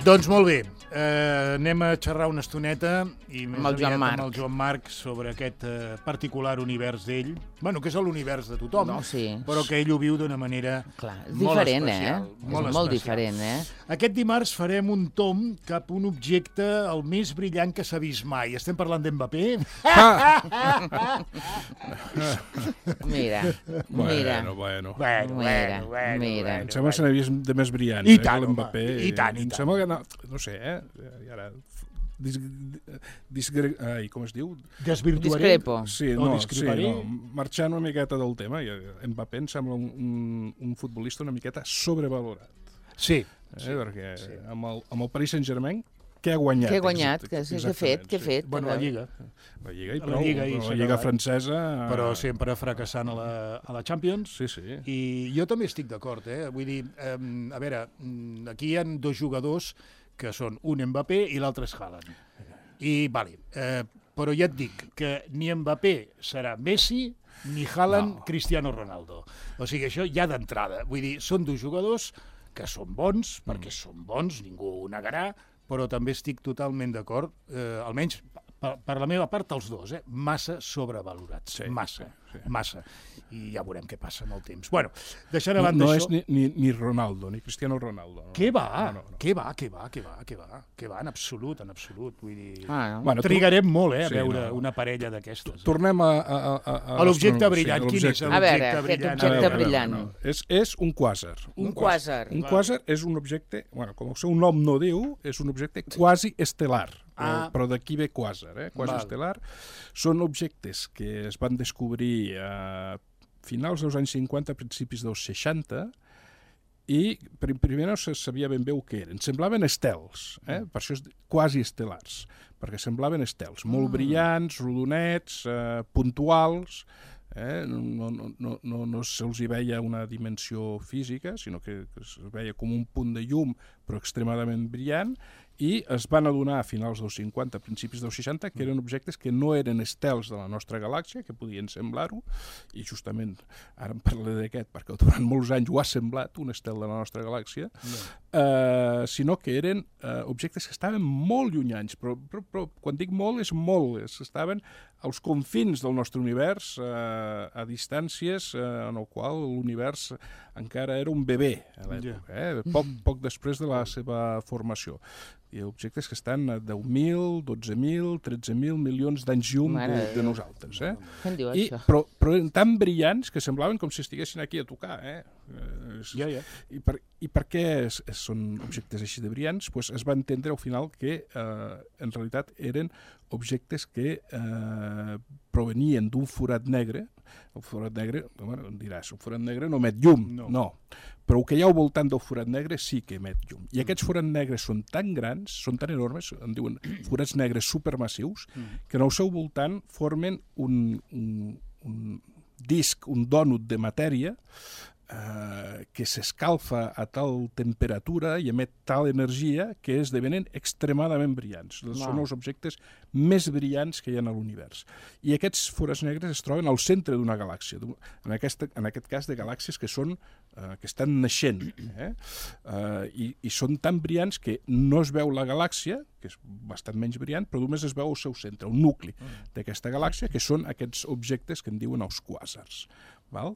Doncs molt bé, eh, anem a xerrar una estoneta i més Amb el Joan aviat Marc. amb el Joan Marc sobre aquest eh, particular univers d'ell. Bueno, que és l'univers de tothom, No, sí. però que ell ho viu d'una manera Clar, és molt diferent, especial, eh? molt és molt especial. diferent, eh? Aquest dimarts farem un tom cap a un objecte el més brillant que s'ha vist mai. Estem parlant d'Mbappé? Mira, mira. Bueno, bueno. Bueno, Mira, bueno, bueno, mira. Em sembla que se n'ha vist de més brillant. I eh, tant, que home, l'Mbappé. i tant, i Em tant. sembla que no, no sé, eh? I ara... Dis, disgre, ai, com es diu? Desvirtuaré? Discrepo. Sí, O no, sí, discreparé? no, marxant una miqueta del tema, i Mbappé em sembla un, un, un futbolista una miqueta sobrevalorat. Sí. Eh? Sí, perquè sí. Amb, el, amb el Paris Saint-Germain, què ha guanyat? Què ha guanyat? Exacte, Què què ha exactament, fet? Què ha sí. fet? Bueno, la Lliga. La Lliga i La prou, Lliga i però s'ha la Lliga acabat. francesa... Però sempre fracassant a la, a la Champions. Sí, sí. I jo també estic d'acord, eh? Vull dir, eh, a veure, mm, aquí hi ha dos jugadors que són un Mbappé i l'altre és Haaland. I, vale, eh, però ja et dic que ni Mbappé serà Messi ni Haaland No. Cristiano Ronaldo. O sigui, això ja d'entrada. Vull dir, són dos jugadors que són bons, perquè són bons, ningú ho negarà, però també estic totalment d'acord, eh, almenys per, per la meva part, els dos, eh? Massa sobrevalorats, Sí, massa, sí, sí. massa. I ja veurem què passa amb el temps. Bueno, deixant a No, banda no això... és ni, ni, ni Ronaldo, ni Cristiano Ronaldo. No. Què va? No, no, no. Què va? Què va? Què va? Què va? Què va? En absolut, en absolut. Vull dir... Ah, no. Bueno, tu- Trigarem molt, eh, a Sí, veure no. una parella d'aquestes. Eh? Tornem a... A, a, a, A l'objecte l'astronomia, brillant. sí, Quin és l'objecte. A veure, l'objecte aquest brillant? objecte A veure, a veure, brillant. no. És, és un quàsar. Un quàsar. Un quàsar és un objecte, bueno, com el seu nom no diu, és un objecte quasi estel·lar. Ah. Però d'aquí ve quàsar, eh? Quasi Val. estel·lar. Són objectes que es van descobrir a finals dels anys cinquanta, principis dels seixanta, i pr- primer no se sabia ben bé el que eren. Semblaven estels, eh? Per això és quasi estel·lars, perquè semblaven estels, molt Mm. brillants, rodonets, eh, puntuals, eh? no, no, no, no, no se'ls hi veia una dimensió física, sinó que, que es veia com un punt de llum, però extremadament brillant, i es van adonar a finals dels cinquanta, principis dels seixanta, que eren objectes que no eren estels de la nostra galàxia, que podien semblar-ho, i justament ara em parlaré d'aquest, perquè durant molts anys ho ha semblat, un estel de la nostra galàxia, eh, sinó que eren eh, objectes que estaven molt llunyans, però, però, però quan dic molt és molt, és, estaven als confins del nostre univers, eh, a distàncies eh, en el qual l'univers encara era un bebè a l'època, eh? poc, poc després de la seva formació. Hi ha objectes que estan a deu mil, dotze mil, tretze mil milions d'anys llum de, de nosaltres. Eh? Què en diu, I, això? però, però eren tan brillants que semblaven com si estiguessin aquí a tocar. Eh? Ja, ja. I, per, I per què es, es, són objectes així de brillants? Pues es va entendre al final que eh, en realitat eren objectes que eh, provenien d'un forat negre. El forat negre, bueno, em diràs, el forat negre no emet llum. No. no. Però el que hi ha al voltant del forat negre sí que emet llum. I aquests forats negres són tan grans, són tan enormes, en diuen forats negres supermassius, que en el seu voltant formen un, un, un disc, un dònut de matèria eh, que s'escalfa a tal temperatura i emet tal energia que esdevenen extremadament brillants. No. Són els objectes més brillants que hi ha a l'univers. I aquests forats negres es troben al centre d'una galàxia, en, aquesta, en aquest cas de galàxies que són eh, que estan naixent. Eh? Eh, i, I són tan brillants que no es veu la galàxia, que és bastant menys brillant, però només es veu el seu centre, el nucli d'aquesta galàxia, que són aquests objectes que en diuen els quàsars. Val?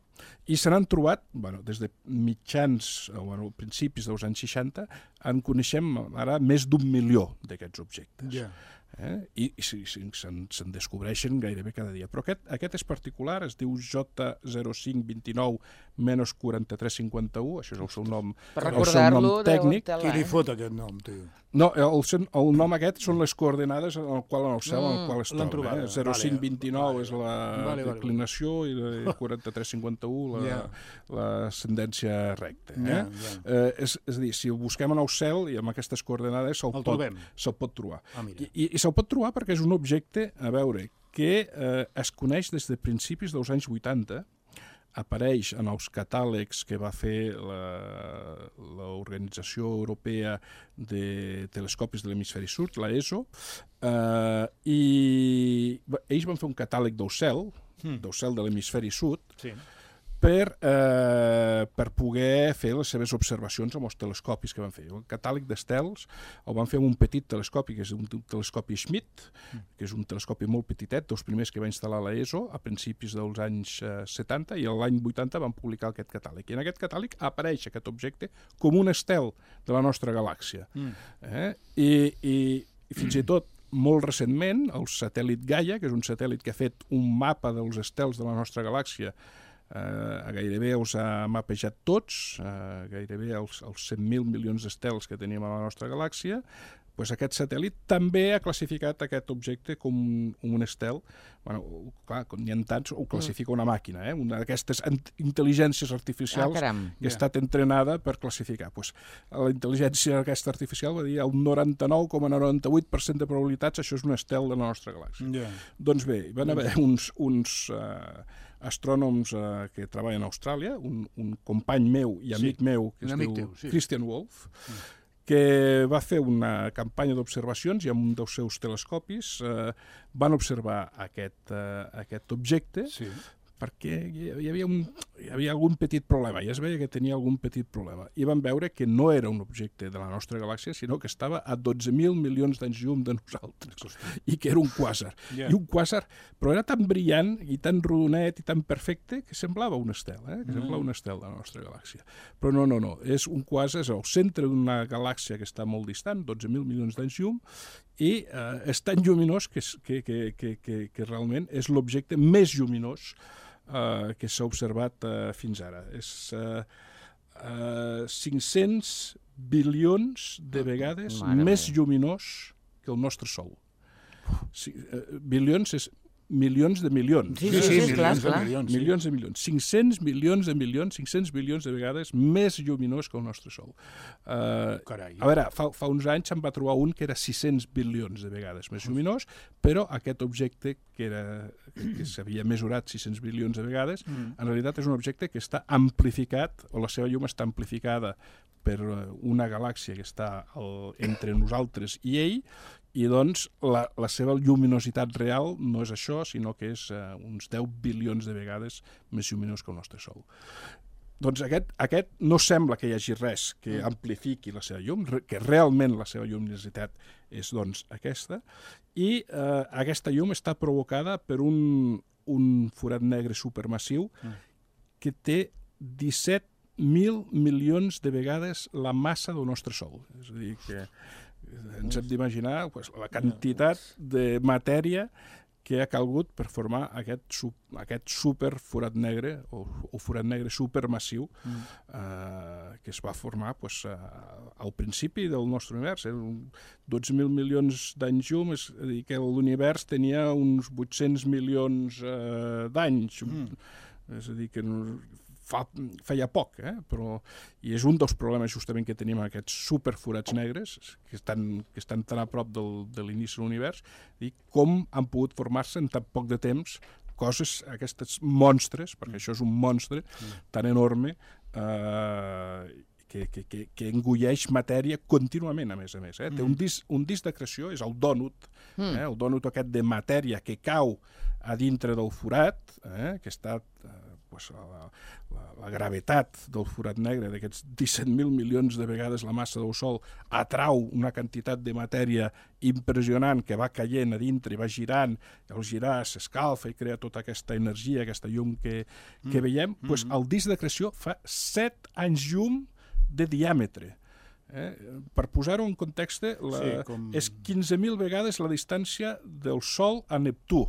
I se n'han trobat, bueno, des de mitjans, o bueno, principis dels anys seixanta, en coneixem ara més d'un milió d'aquests objectes. Yeah. Eh? I, i sí, sí, se'n se'n descobreixen gairebé cada dia. Però aquest, aquest és particular, es diu J zero cinc dos nou menys quaranta-tres cinquanta-u, això és el seu nom, el seu nom tècnic. Qui li fot aquest nom, tio? No, el, el nom aquest són les coordenades en el qual en el cel en el qual es troba. Eh? zero cinc dos nou vale, és la vale, declinació vale. I quaranta-tres cinquanta-u la, yeah. l'ascendència recta. Eh? Yeah, yeah. Eh, és, és a dir, si ho busquem en el cel i amb aquestes coordenades se'l pot, se pot trobar. Ah, I, i, i se'l pot trobar perquè és un objecte, a veure, que eh, es coneix des de principis dels anys vuitanta, apareix en els catàlegs que va fer l'Organització Europea de Telescopis de l'Hemisferi Sud, la E S O, eh, i ells van fer un catàleg del cel, mm. del cel de l'Hemisferi Sud, sí. per, eh, per poder fer les seves observacions amb els telescopis que van fer. El catàleg d'estels el van fer amb un petit telescopi, que és un telescopi Schmidt, que és un telescopi molt petitet, dels primers que va instal·lar la E S O a principis dels anys eh, setanta, i l'any vuitanta van publicar aquest catàleg. I en aquest catàleg apareix aquest objecte com un estel de la nostra galàxia. Mm. Eh? I, i, I fins i tot molt recentment, el satèl·lit Gaia, que és un satèl·lit que ha fet un mapa dels estels de la nostra galàxia, Uh, gairebé els ha mapejat tots, uh, gairebé els, els cent mil milions d'estels que tenim a la nostra galàxia, pues aquest satèl·lit també ha classificat aquest objecte com un, un estel. Bueno, clar, com n'hi ha tants, ho classifica una màquina, eh? Una d'aquestes intel·ligències artificials ah, que ha estat entrenada per classificar. Pues, la intel·ligència aquesta artificial va dir el noranta-nou coma noranta-vuit per cent de probabilitats això és un estel de la nostra galàxia. Yeah. Doncs bé, van haver uns... uns uh, astrònoms eh, que treballen a Austràlia, un, un company meu i amic sí, meu, que es diu teu, sí. Christian Wolf, mm. que va fer una campanya d'observacions i amb un dels seus telescopis eh, van observar aquest, eh, aquest objecte, sí. perquè hi havia, un, hi havia algun petit problema, ja es veia que tenia algun petit problema, i van veure que no era un objecte de la nostra galàxia, sinó que estava a dotze mil milions d'anys llum de nosaltres, i que era un quàsar. Yeah. I un quàsar, però era tan brillant i tan rodonet i tan perfecte que semblava un estel, eh? que semblava un estel de la nostra galàxia. Però no, no, no, és un quàsar, és al centre d'una galàxia que està molt distant, dotze mil milions d'anys llum, i eh, és tan lluminós que, que, que, que, que, que realment és l'objecte més lluminós Uh, que s'ha observat uh, fins ara. És uh, uh, cinc-cents bilions de vegades Mare més meva. lluminós que el nostre Sol. Si, uh, bilions és milions de milions. Sí, sí, sí, sí, milions, clar, de milions, sí. milions de milions. cinc-cents milions de milions, cinc-cents bilions de vegades més lluminós que el nostre Sol. Uh, Carai. A veure, fa, fa uns anys se'n va trobar un que era sis-cents bilions de vegades més lluminós, però aquest objecte que, era, que s'havia mesurat sis-cents bilions de vegades, mm. en realitat és un objecte que està amplificat, o la seva llum està amplificada per una galàxia que està el, entre nosaltres i ell, i doncs la, la seva lluminositat real no és això, sinó que és uh, uns deu bilions de vegades més lluminós que el nostre Sol. Doncs aquest, aquest no sembla que hi hagi res que amplifiqui la seva llum, que realment la seva lluminositat és doncs aquesta, i uh, aquesta llum està provocada per un, un forat negre supermassiu que té disset mil milions de vegades la massa del nostre Sol. És a dir, que Ens hem d'imaginar pues, la quantitat de matèria que ha calgut per formar aquest, aquest super forat negre o, o forat negre supermassiu mm. eh, que es va formar pues, eh, al principi del nostre univers. Eh? dotze mil milions d'anys llum, és a dir, que l'univers tenia uns vuit-cents milions eh, d'anys. Mm. És a dir, que fa, feia poc, eh? Però, i és un dels problemes justament que tenim aquests superforats negres, que estan, que estan tan a prop del, de l'inici de l'univers, i com han pogut formar-se en tan poc de temps coses, aquests monstres, perquè això és un monstre tan enorme, eh, que, que, que, que engulleix matèria contínuament, a més a més. Eh? Mm. Té un disc, un disc de creació, és el dònut, mm. eh? el dònut aquest de matèria que cau a dintre del forat, eh? que està... Eh, pues, la, la, la gravetat del forat negre, d'aquests disset mil milions de vegades la massa del Sol, atrau una quantitat de matèria impressionant que va caient a dintre i va girant, i al girar s'escalfa i crea tota aquesta energia, aquesta llum que, que mm. veiem. Mm. Pues, el disc de creació fa set anys llum de diàmetre. Eh? Per posar-ho en context, la, sí, com... és quinze mil vegades la distància del Sol a Neptú.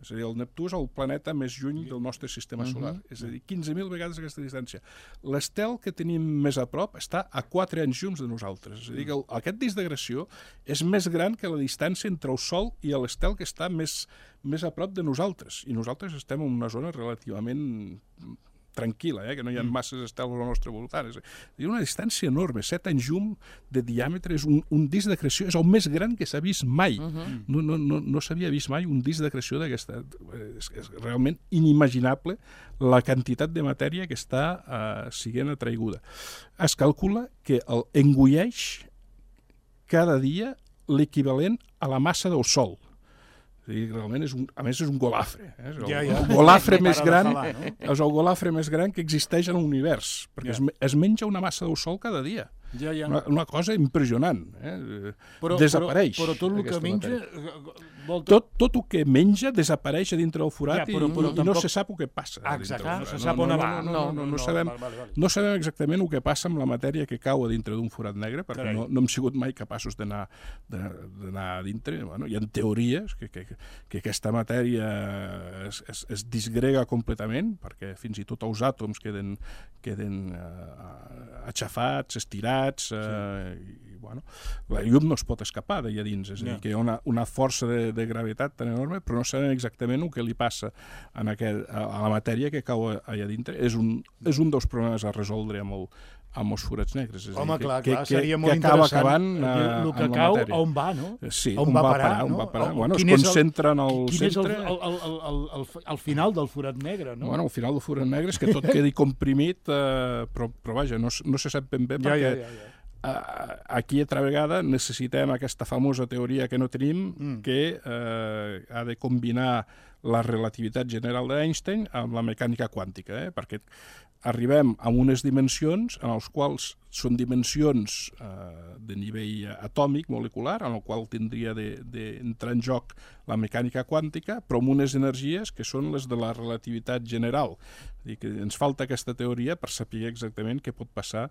És a dir, el Neptú és el planeta més lluny del nostre sistema solar. Uh-huh. És a dir, quinze mil vegades aquesta distància. L'estel que tenim més a prop està a quatre anys llums de nosaltres. És a dir, que el, aquest disc de creació és més gran que la distància entre el Sol i l'estel que està més, més a prop de nosaltres. I nosaltres estem en una zona relativament tranquil·la, eh? que no hi ha masses estels al nostre voltant. És una distància enorme. Set anys llum de diàmetre, és un, un disc de creació, és el més gran que s'ha vist mai. Uh-huh. No, no, no, no s'havia vist mai un disc de creació d'aquesta... És, és realment inimaginable la quantitat de matèria que està uh, siguent atraiguda. Es calcula que el engulleix cada dia l'equivalent a la massa del Sol. I realment és un, a més és un golafre, eh? És el, ja, ja. el golafre més gran, falar, no? És el golafre més gran que existeix en l'univers, perquè ja. es, es menja una massa del Sol cada dia. Ja, ja. Una, una cosa impressionant, eh? Però, desapareix. Però, però tot el que menja... Volta... Tot, tot el que menja desapareix a dintre del forat ja, però, però, i, tampoc... i no se sap el que passa. Ah, exacte, no se sap on va. No, no, no, no, no, sabem, vale, vale. no sabem exactament el que passa amb la matèria que cau a dintre d'un forat negre, perquè no, no hem sigut mai capaços d'anar d'anar a dintre. Bueno, hi ha teories que, que, que aquesta matèria es, es, es disgrega completament, perquè fins i tot els àtoms queden, queden uh, aixafats, estirats, uh, sí. i bueno, la llum no es pot escapar d'allà dins, és a dir, no. que hi ha una, una força de, de gravetat tan enorme, però no sabem exactament el que li passa en aquest, a, a la matèria que cau allà dintre. És un, és un dels problemes a resoldre amb, el, amb els forats negres. És Home, dir, clar, que, clar, que, seria molt que acaba interessant. acabant el, el que cau, on va, no? Sí, on, on va va parar, parar, no? on va parar. Bueno, es concentra en el quin centre... Quin és el, el, el, el, el, el final del forat negre, no? Bueno, el final del forat negre és que tot quedi comprimit, eh, però, però vaja, no, no se sap ben bé ja, perquè... Ja, ja, ja. Aquí, altra vegada, necessitem aquesta famosa teoria que no tenim, mm. que eh, ha de combinar la relativitat general d'Einstein amb la mecànica quàntica, eh? perquè arribem a unes dimensions en les quals són dimensions eh, de nivell atòmic, molecular, en el qual tindria d'entrar en joc la mecànica quàntica, però amb unes energies que són les de la relativitat general. És dir, que ens falta aquesta teoria per saber exactament què pot passar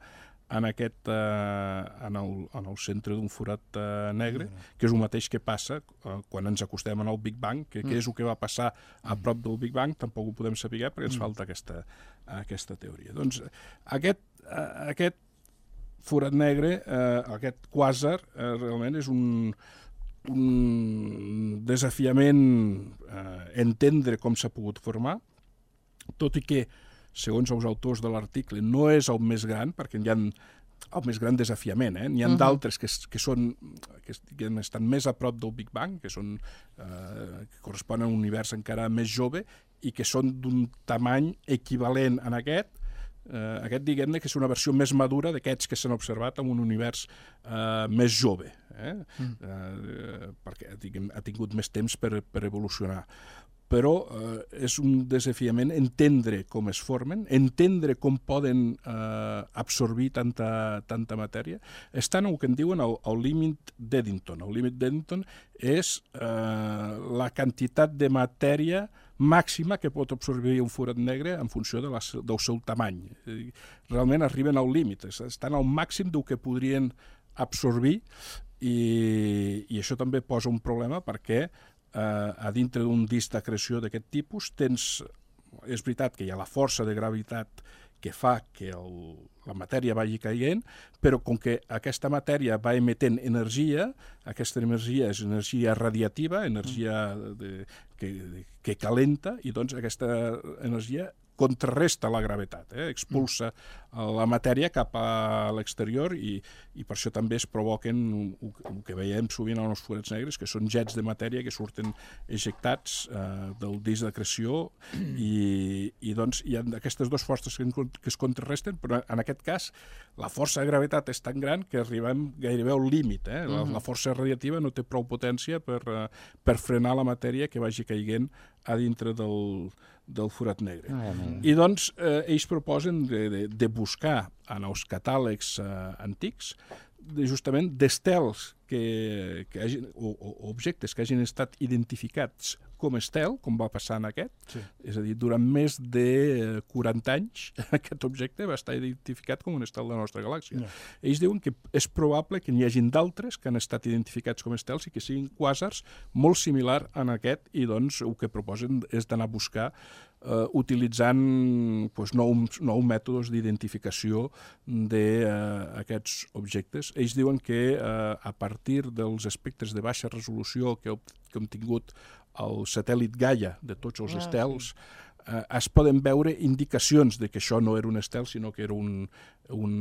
en, aquest, eh, en, el, en el centre d'un forat eh, negre, que és el mateix que passa eh, quan ens acostem al Big Bang, que, que és el que va passar a prop del Big Bang, tampoc ho podem saber perquè ens falta aquesta, aquesta teoria. Doncs aquest, eh, aquest forat negre, eh, aquest quàsar, eh, realment és un, un desafiament eh, entendre com s'ha pogut formar, tot i que segons els autors de l'article, no és el més gran, perquè hi ha el més gran desafiament. Eh? N'hi ha uh-huh. d'altres que, que, són, que, que estan més a prop del Big Bang, que, són, eh, que corresponen a un univers encara més jove i que són d'un tamany equivalent en aquest. Eh, aquest, diguem-ne, que és una versió més madura d'aquests que s'han observat en un univers eh, més jove, eh? Mm. Eh, perquè diguem, ha tingut més temps per, per evolucionar. Però eh, és un desafiament entendre com es formen, entendre com poden eh, absorbir tanta, tanta matèria. Estan el que en diuen el, el límit d'Eddington. El límit d'Eddington és eh, la quantitat de matèria màxima que pot absorbir un forat negre en funció de la, del seu tamany. Realment arriben al límit, estan al màxim del que podrien absorbir i, i això també posa un problema perquè eh, a dintre d'un disc d'acreció d'aquest tipus tens, és veritat que hi ha la força de gravitat que fa que el, la matèria vagi caient, però com que aquesta matèria va emetent energia, aquesta energia és energia radiativa, energia de, que, que calenta, i doncs aquesta energia contrarresta la gravetat, eh? expulsa la matèria cap a l'exterior i, i per això també es provoquen el que veiem sovint en els forats negres, que són jets de matèria que surten ejectats eh, del disc d'acreció i, i doncs hi ha aquestes dues forces que, que es contrarresten, però en aquest cas la força de gravetat és tan gran que arribem gairebé al límit. Eh? La, la força radiativa no té prou potència per, uh, per frenar la matèria que vagi caient a dintre del, del forat negre. Ah, I doncs eh, ells proposen de, de, de buscar en els catàlegs eh, antics de, justament d'estels que, que hagin, o, o objectes que hagin estat identificats com estel, com va passar en aquest. Sí. És a dir, durant més de quaranta anys aquest objecte va estar identificat com un estel de la nostra galàxia. No. Ells diuen que és probable que n'hi hagin d'altres que han estat identificats com estels i que siguin quàsars molt similar a aquest, i doncs el que proposen és d'anar a buscar Uh, utilitzant pues, nous, nous mètodes d'identificació d'aquests uh, objectes. Ells diuen que uh, a partir dels espectres de baixa resolució que, que hem tingut el satèl·lit Gaia de tots els ah, estels, sí. uh, es poden veure indicacions de que això no era un estel, sinó que era un, un,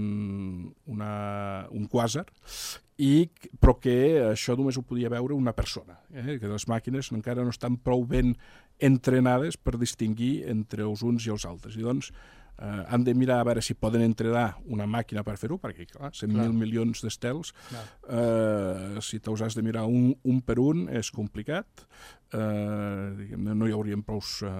una, un quàsar, i, però que això només ho podia veure una persona, eh? Que les màquines encara no estan prou ben entrenades per distingir entre els uns i els altres. I doncs eh, han de mirar a veure si poden entrenar una màquina per fer-ho, perquè clar, cent mil milions d'estels, eh, si te'ls has de mirar un, un per un és complicat, eh, no hi haurien prous, eh,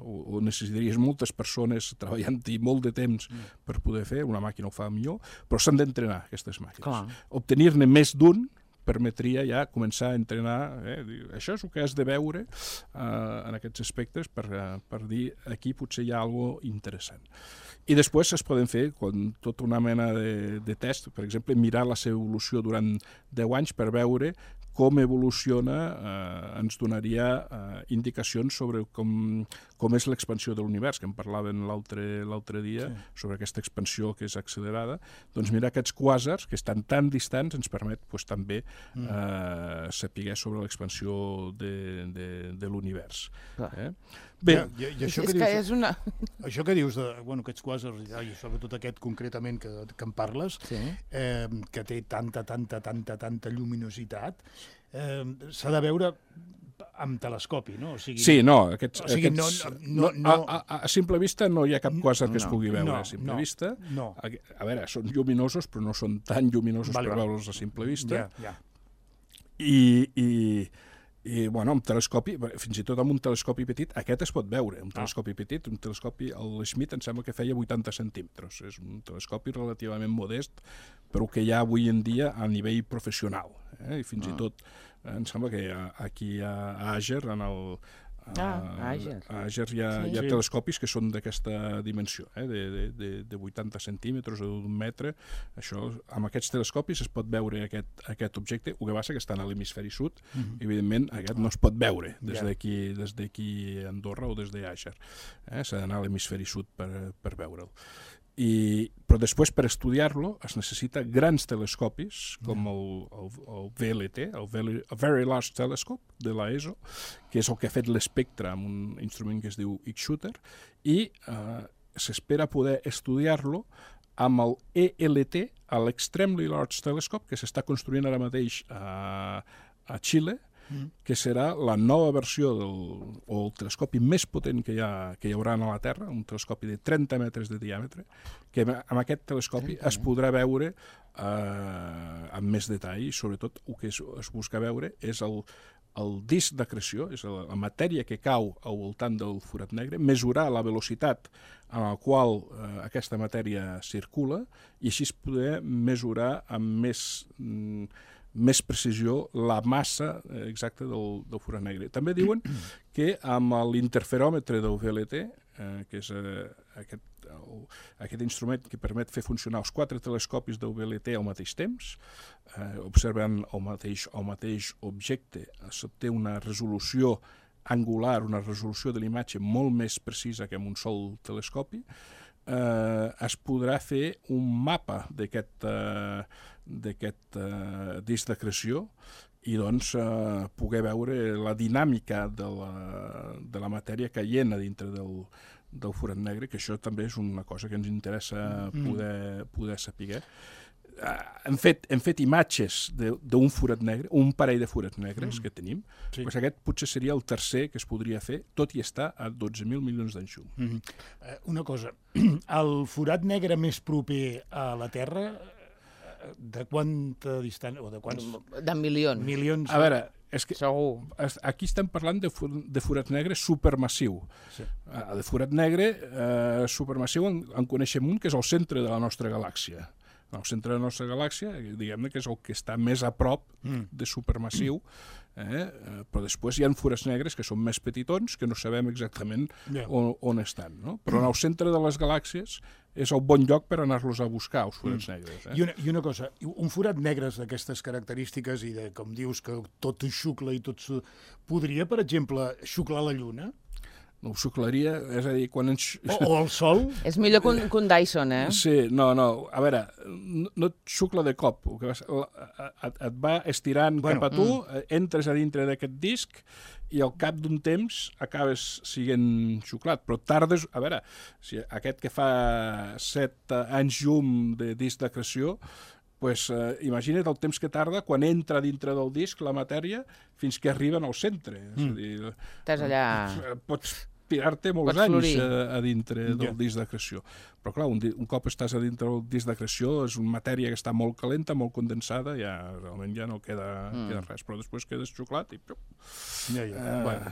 o, o necessitaries moltes persones treballant-hi molt de temps mm. per poder fer, una màquina ho fa millor, però s'han d'entrenar aquestes màquines. Clar. Obtenir-ne més d'un permetria ja començar a entrenar, eh? Això és el que has de veure eh, en aquests aspectes per, per dir aquí potser hi ha alguna cosa interessant. I després es poden fer quan, tota una mena de, de test, per exemple, mirar la seva evolució durant deu anys per veure com evoluciona, eh, ens donaria eh, indicacions sobre com, com és l'expansió de l'univers, que en parlaven l'altre dia, sí. sobre aquesta expansió que és accelerada. Doncs mirar aquests quàsars, que estan tan distants, ens permet pues, també mm. eh, saber sobre l'expansió de, de, de l'univers. Eh? Bé, ja, i, i això, és que dius, que és una... això que dius de bueno, aquests quàsars, i sobretot aquest concretament que, que en parles, sí. eh, que té tanta, tanta, tanta, tanta lluminositat, eh, s'ha de veure amb telescopi, no? O sigui, sí, no, aquests, o sigui, aquests, no, no, no, a, a, a simple vista no hi ha cap quàsar que no, es pugui veure no, a simple no, vista. No. A, a veure, són lluminosos, però no són tan lluminosos vale, per veure'ls a simple vista. Ja, ja. I... i I, bueno, amb telescopi, fins i tot amb un telescopi petit, aquest es pot veure, un telescopi petit, un telescopi, el Schmidt em sembla que feia vuitanta centímetres, és un telescopi relativament modest, però que hi ha avui en dia a nivell professional, eh? I fins ah. i tot, eh, em sembla que aquí a Àger, en el... Ah, a Àger. A Àger hi ha, sí. hi ha telescopis que són d'aquesta dimensió, eh? de, de, de vuitanta centímetres o d'un metre. Això, amb aquests telescopis es pot veure aquest, aquest objecte, el que passa que està a l'hemisferi sud, mm-hmm. evidentment aquest no es pot veure des d'aquí des d'aquí a Andorra o des d'Àger. Eh? S'ha d'anar a l'hemisferi sud per, per veure'l. I, però després per estudiar-lo es necessita grans telescopis com el, el, el V L T, el Very, Very Large Telescope de l'E S O, que és el que ha fet l'espectre amb un instrument que es diu X-Shooter, i eh, s'espera poder estudiar-lo amb el E L T, l'Extremely Large Telescope, que s'està construint ara mateix a, a Xile, que serà la nova versió del, o el telescopi més potent que hi, ha, que hi haurà a la Terra, un telescopi de trenta metres de diàmetre, que amb aquest telescopi es podrà veure eh, amb més detall, i sobretot el que es, es busca veure és el, el disc d'acreció, és la, la matèria que cau al voltant del forat negre, mesurar la velocitat en la qual eh, aquesta matèria circula, i així poder mesurar amb més... Mm, més precisió la massa exacta del, del forat negre. També diuen que amb l'interferòmetre del V L T eh, que és eh, aquest, el, aquest instrument que permet fer funcionar els quatre telescopis del V L T al mateix temps, eh, observant el mateix, el mateix objecte. Té una resolució angular, una resolució de l'imatge molt més precisa que amb un sol telescopi. Eh, es podrà fer un mapa d'aquest eh, d'aquest eh, disc d'acreció i doncs eh, poder veure la dinàmica de la, de la matèria caient a dintre del, del forat negre, que això també és una cosa que ens interessa poder, poder saber. Hem fet, hem fet imatges d'un forat negre, un parell de forats negres mm. que tenim, sí. Pues aquest potser seria el tercer que es podria fer, tot i estar a dotze mil milions d'anys llum. Mm -hmm. uh, una cosa, el forat negre més proper a la Terra, de quanta distància? O de quants? De milions. Milions. A veure, és que segur. Aquí estem parlant de, de forat negre supermassiu. Sí. Uh, de forat negre uh, supermassiu en, en coneixem un que és el centre de la nostra galàxia. El centre de la nostra galàxia, diguem-ne que és el que està més a prop de supermassiu, eh? Però després hi ha forats negres que són més petitons, que no sabem exactament yeah. on, on estan. No? Però en el centre de les galàxies és el bon lloc per anar-los a buscar, els forats mm. negres. Eh? I, una, I una cosa, un forat negre d'aquestes característiques i de, com dius, que tot xucla i tot... Podria, per exemple, xuclar la Lluna? No ho xuclaria, és a dir, quan ens... O, o el sol? És millor que un, que un Dyson, eh? Sí, no, no, a veure, no, no et xucla de cop, el que vas, et, et va estirant bueno, cap a tu, mm. entres a dintre d'aquest disc i al cap d'un temps acabes sent xuclat, però tardes... A veure, si aquest que fa set anys llum de disc d'acreció, pues, eh, imagina't el temps que tarda quan entra dintre del disc la matèria fins que arriben al centre. Mm. És a dir, estàs allà... Pots tirar-te molts pots anys a, a dintre del yeah. disc d'acreció. Però clar, un, un cop estàs a dintre del disc d'acreció és una matèria que està molt calenta, molt condensada, ja realment ja no queda, mm. queda res, però després quedes xuclat i... Ja, ja. Uh, bueno.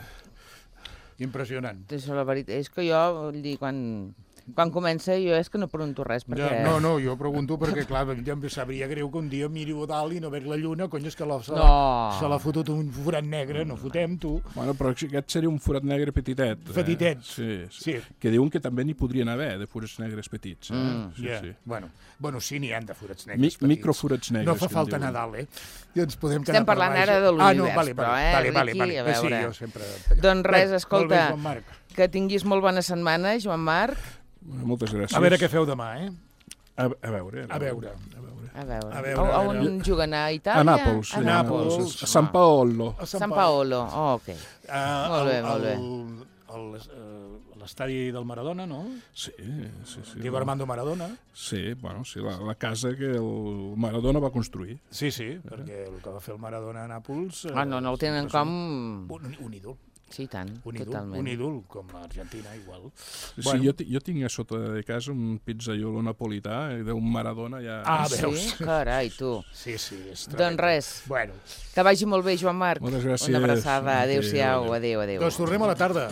Impressionant. Això, la veritat, és que jo, vull dir, quan... Quan comença jo és que no pregunto res, perquè... Ja, no, no, jo pregunto perquè, clar, ja em sabria greu que un dia miri a dalt i no veig la lluna, cony, és que la, se l'ha no. no. fotut un forat negre, no fotem, tu. Bueno, però aquest seria un forat negre petitet. Petitet. Eh? Sí, sí, sí. Que diuen que també n'hi podrien haver, de forats negres petits. Eh? Mm. Sí, yeah. sí. Bueno, bueno, sí, n'hi ha de forats negres Mi petits. Microforats negres. No fa falta Nadal, eh? I ens podem Estem parlant per ara de l'univers, ah, no, vale, però, vale, eh, vale, vale, Riqui, vale. a veure. Sí, jo sempre... Doncs res, escolta, bé, que tinguis molt bona setmana, Joan Marc. Moltes gràcies. A veure què feu demà, eh? A, a veure. A veure. A veure. A veure. A veure, a veure. On juguen? A Itàlia? A Nàpols. A Nàpols. A Sant Paolo. A Sant Paolo, oh, ok. Uh, molt bé, molt bé. L'estadi del Maradona, no? Sí, sí, sí. Diego Armando Maradona. Sí, bueno, sí, la, la casa que el Maradona va construir. Sí, sí, perquè el que va fer el Maradona a Nàpols... Ah, no, no el tenen com... Un, un ídol. Sí, tant, un ídol, totalment. Un ídol, com a Argentina, igual. Sí, bueno. jo, jo tinc a sota de casa un pizzaiolo napolità d'un Maradona ja... Ah, veus? Sí? Carai, tu. Sí, sí, és tremendo. Doncs res, bueno. que vagi molt bé, Joan Marc. Moltes gràcies. Una abraçada, adéu-siau, adéu, adéu. Doncs tornem a la tarda.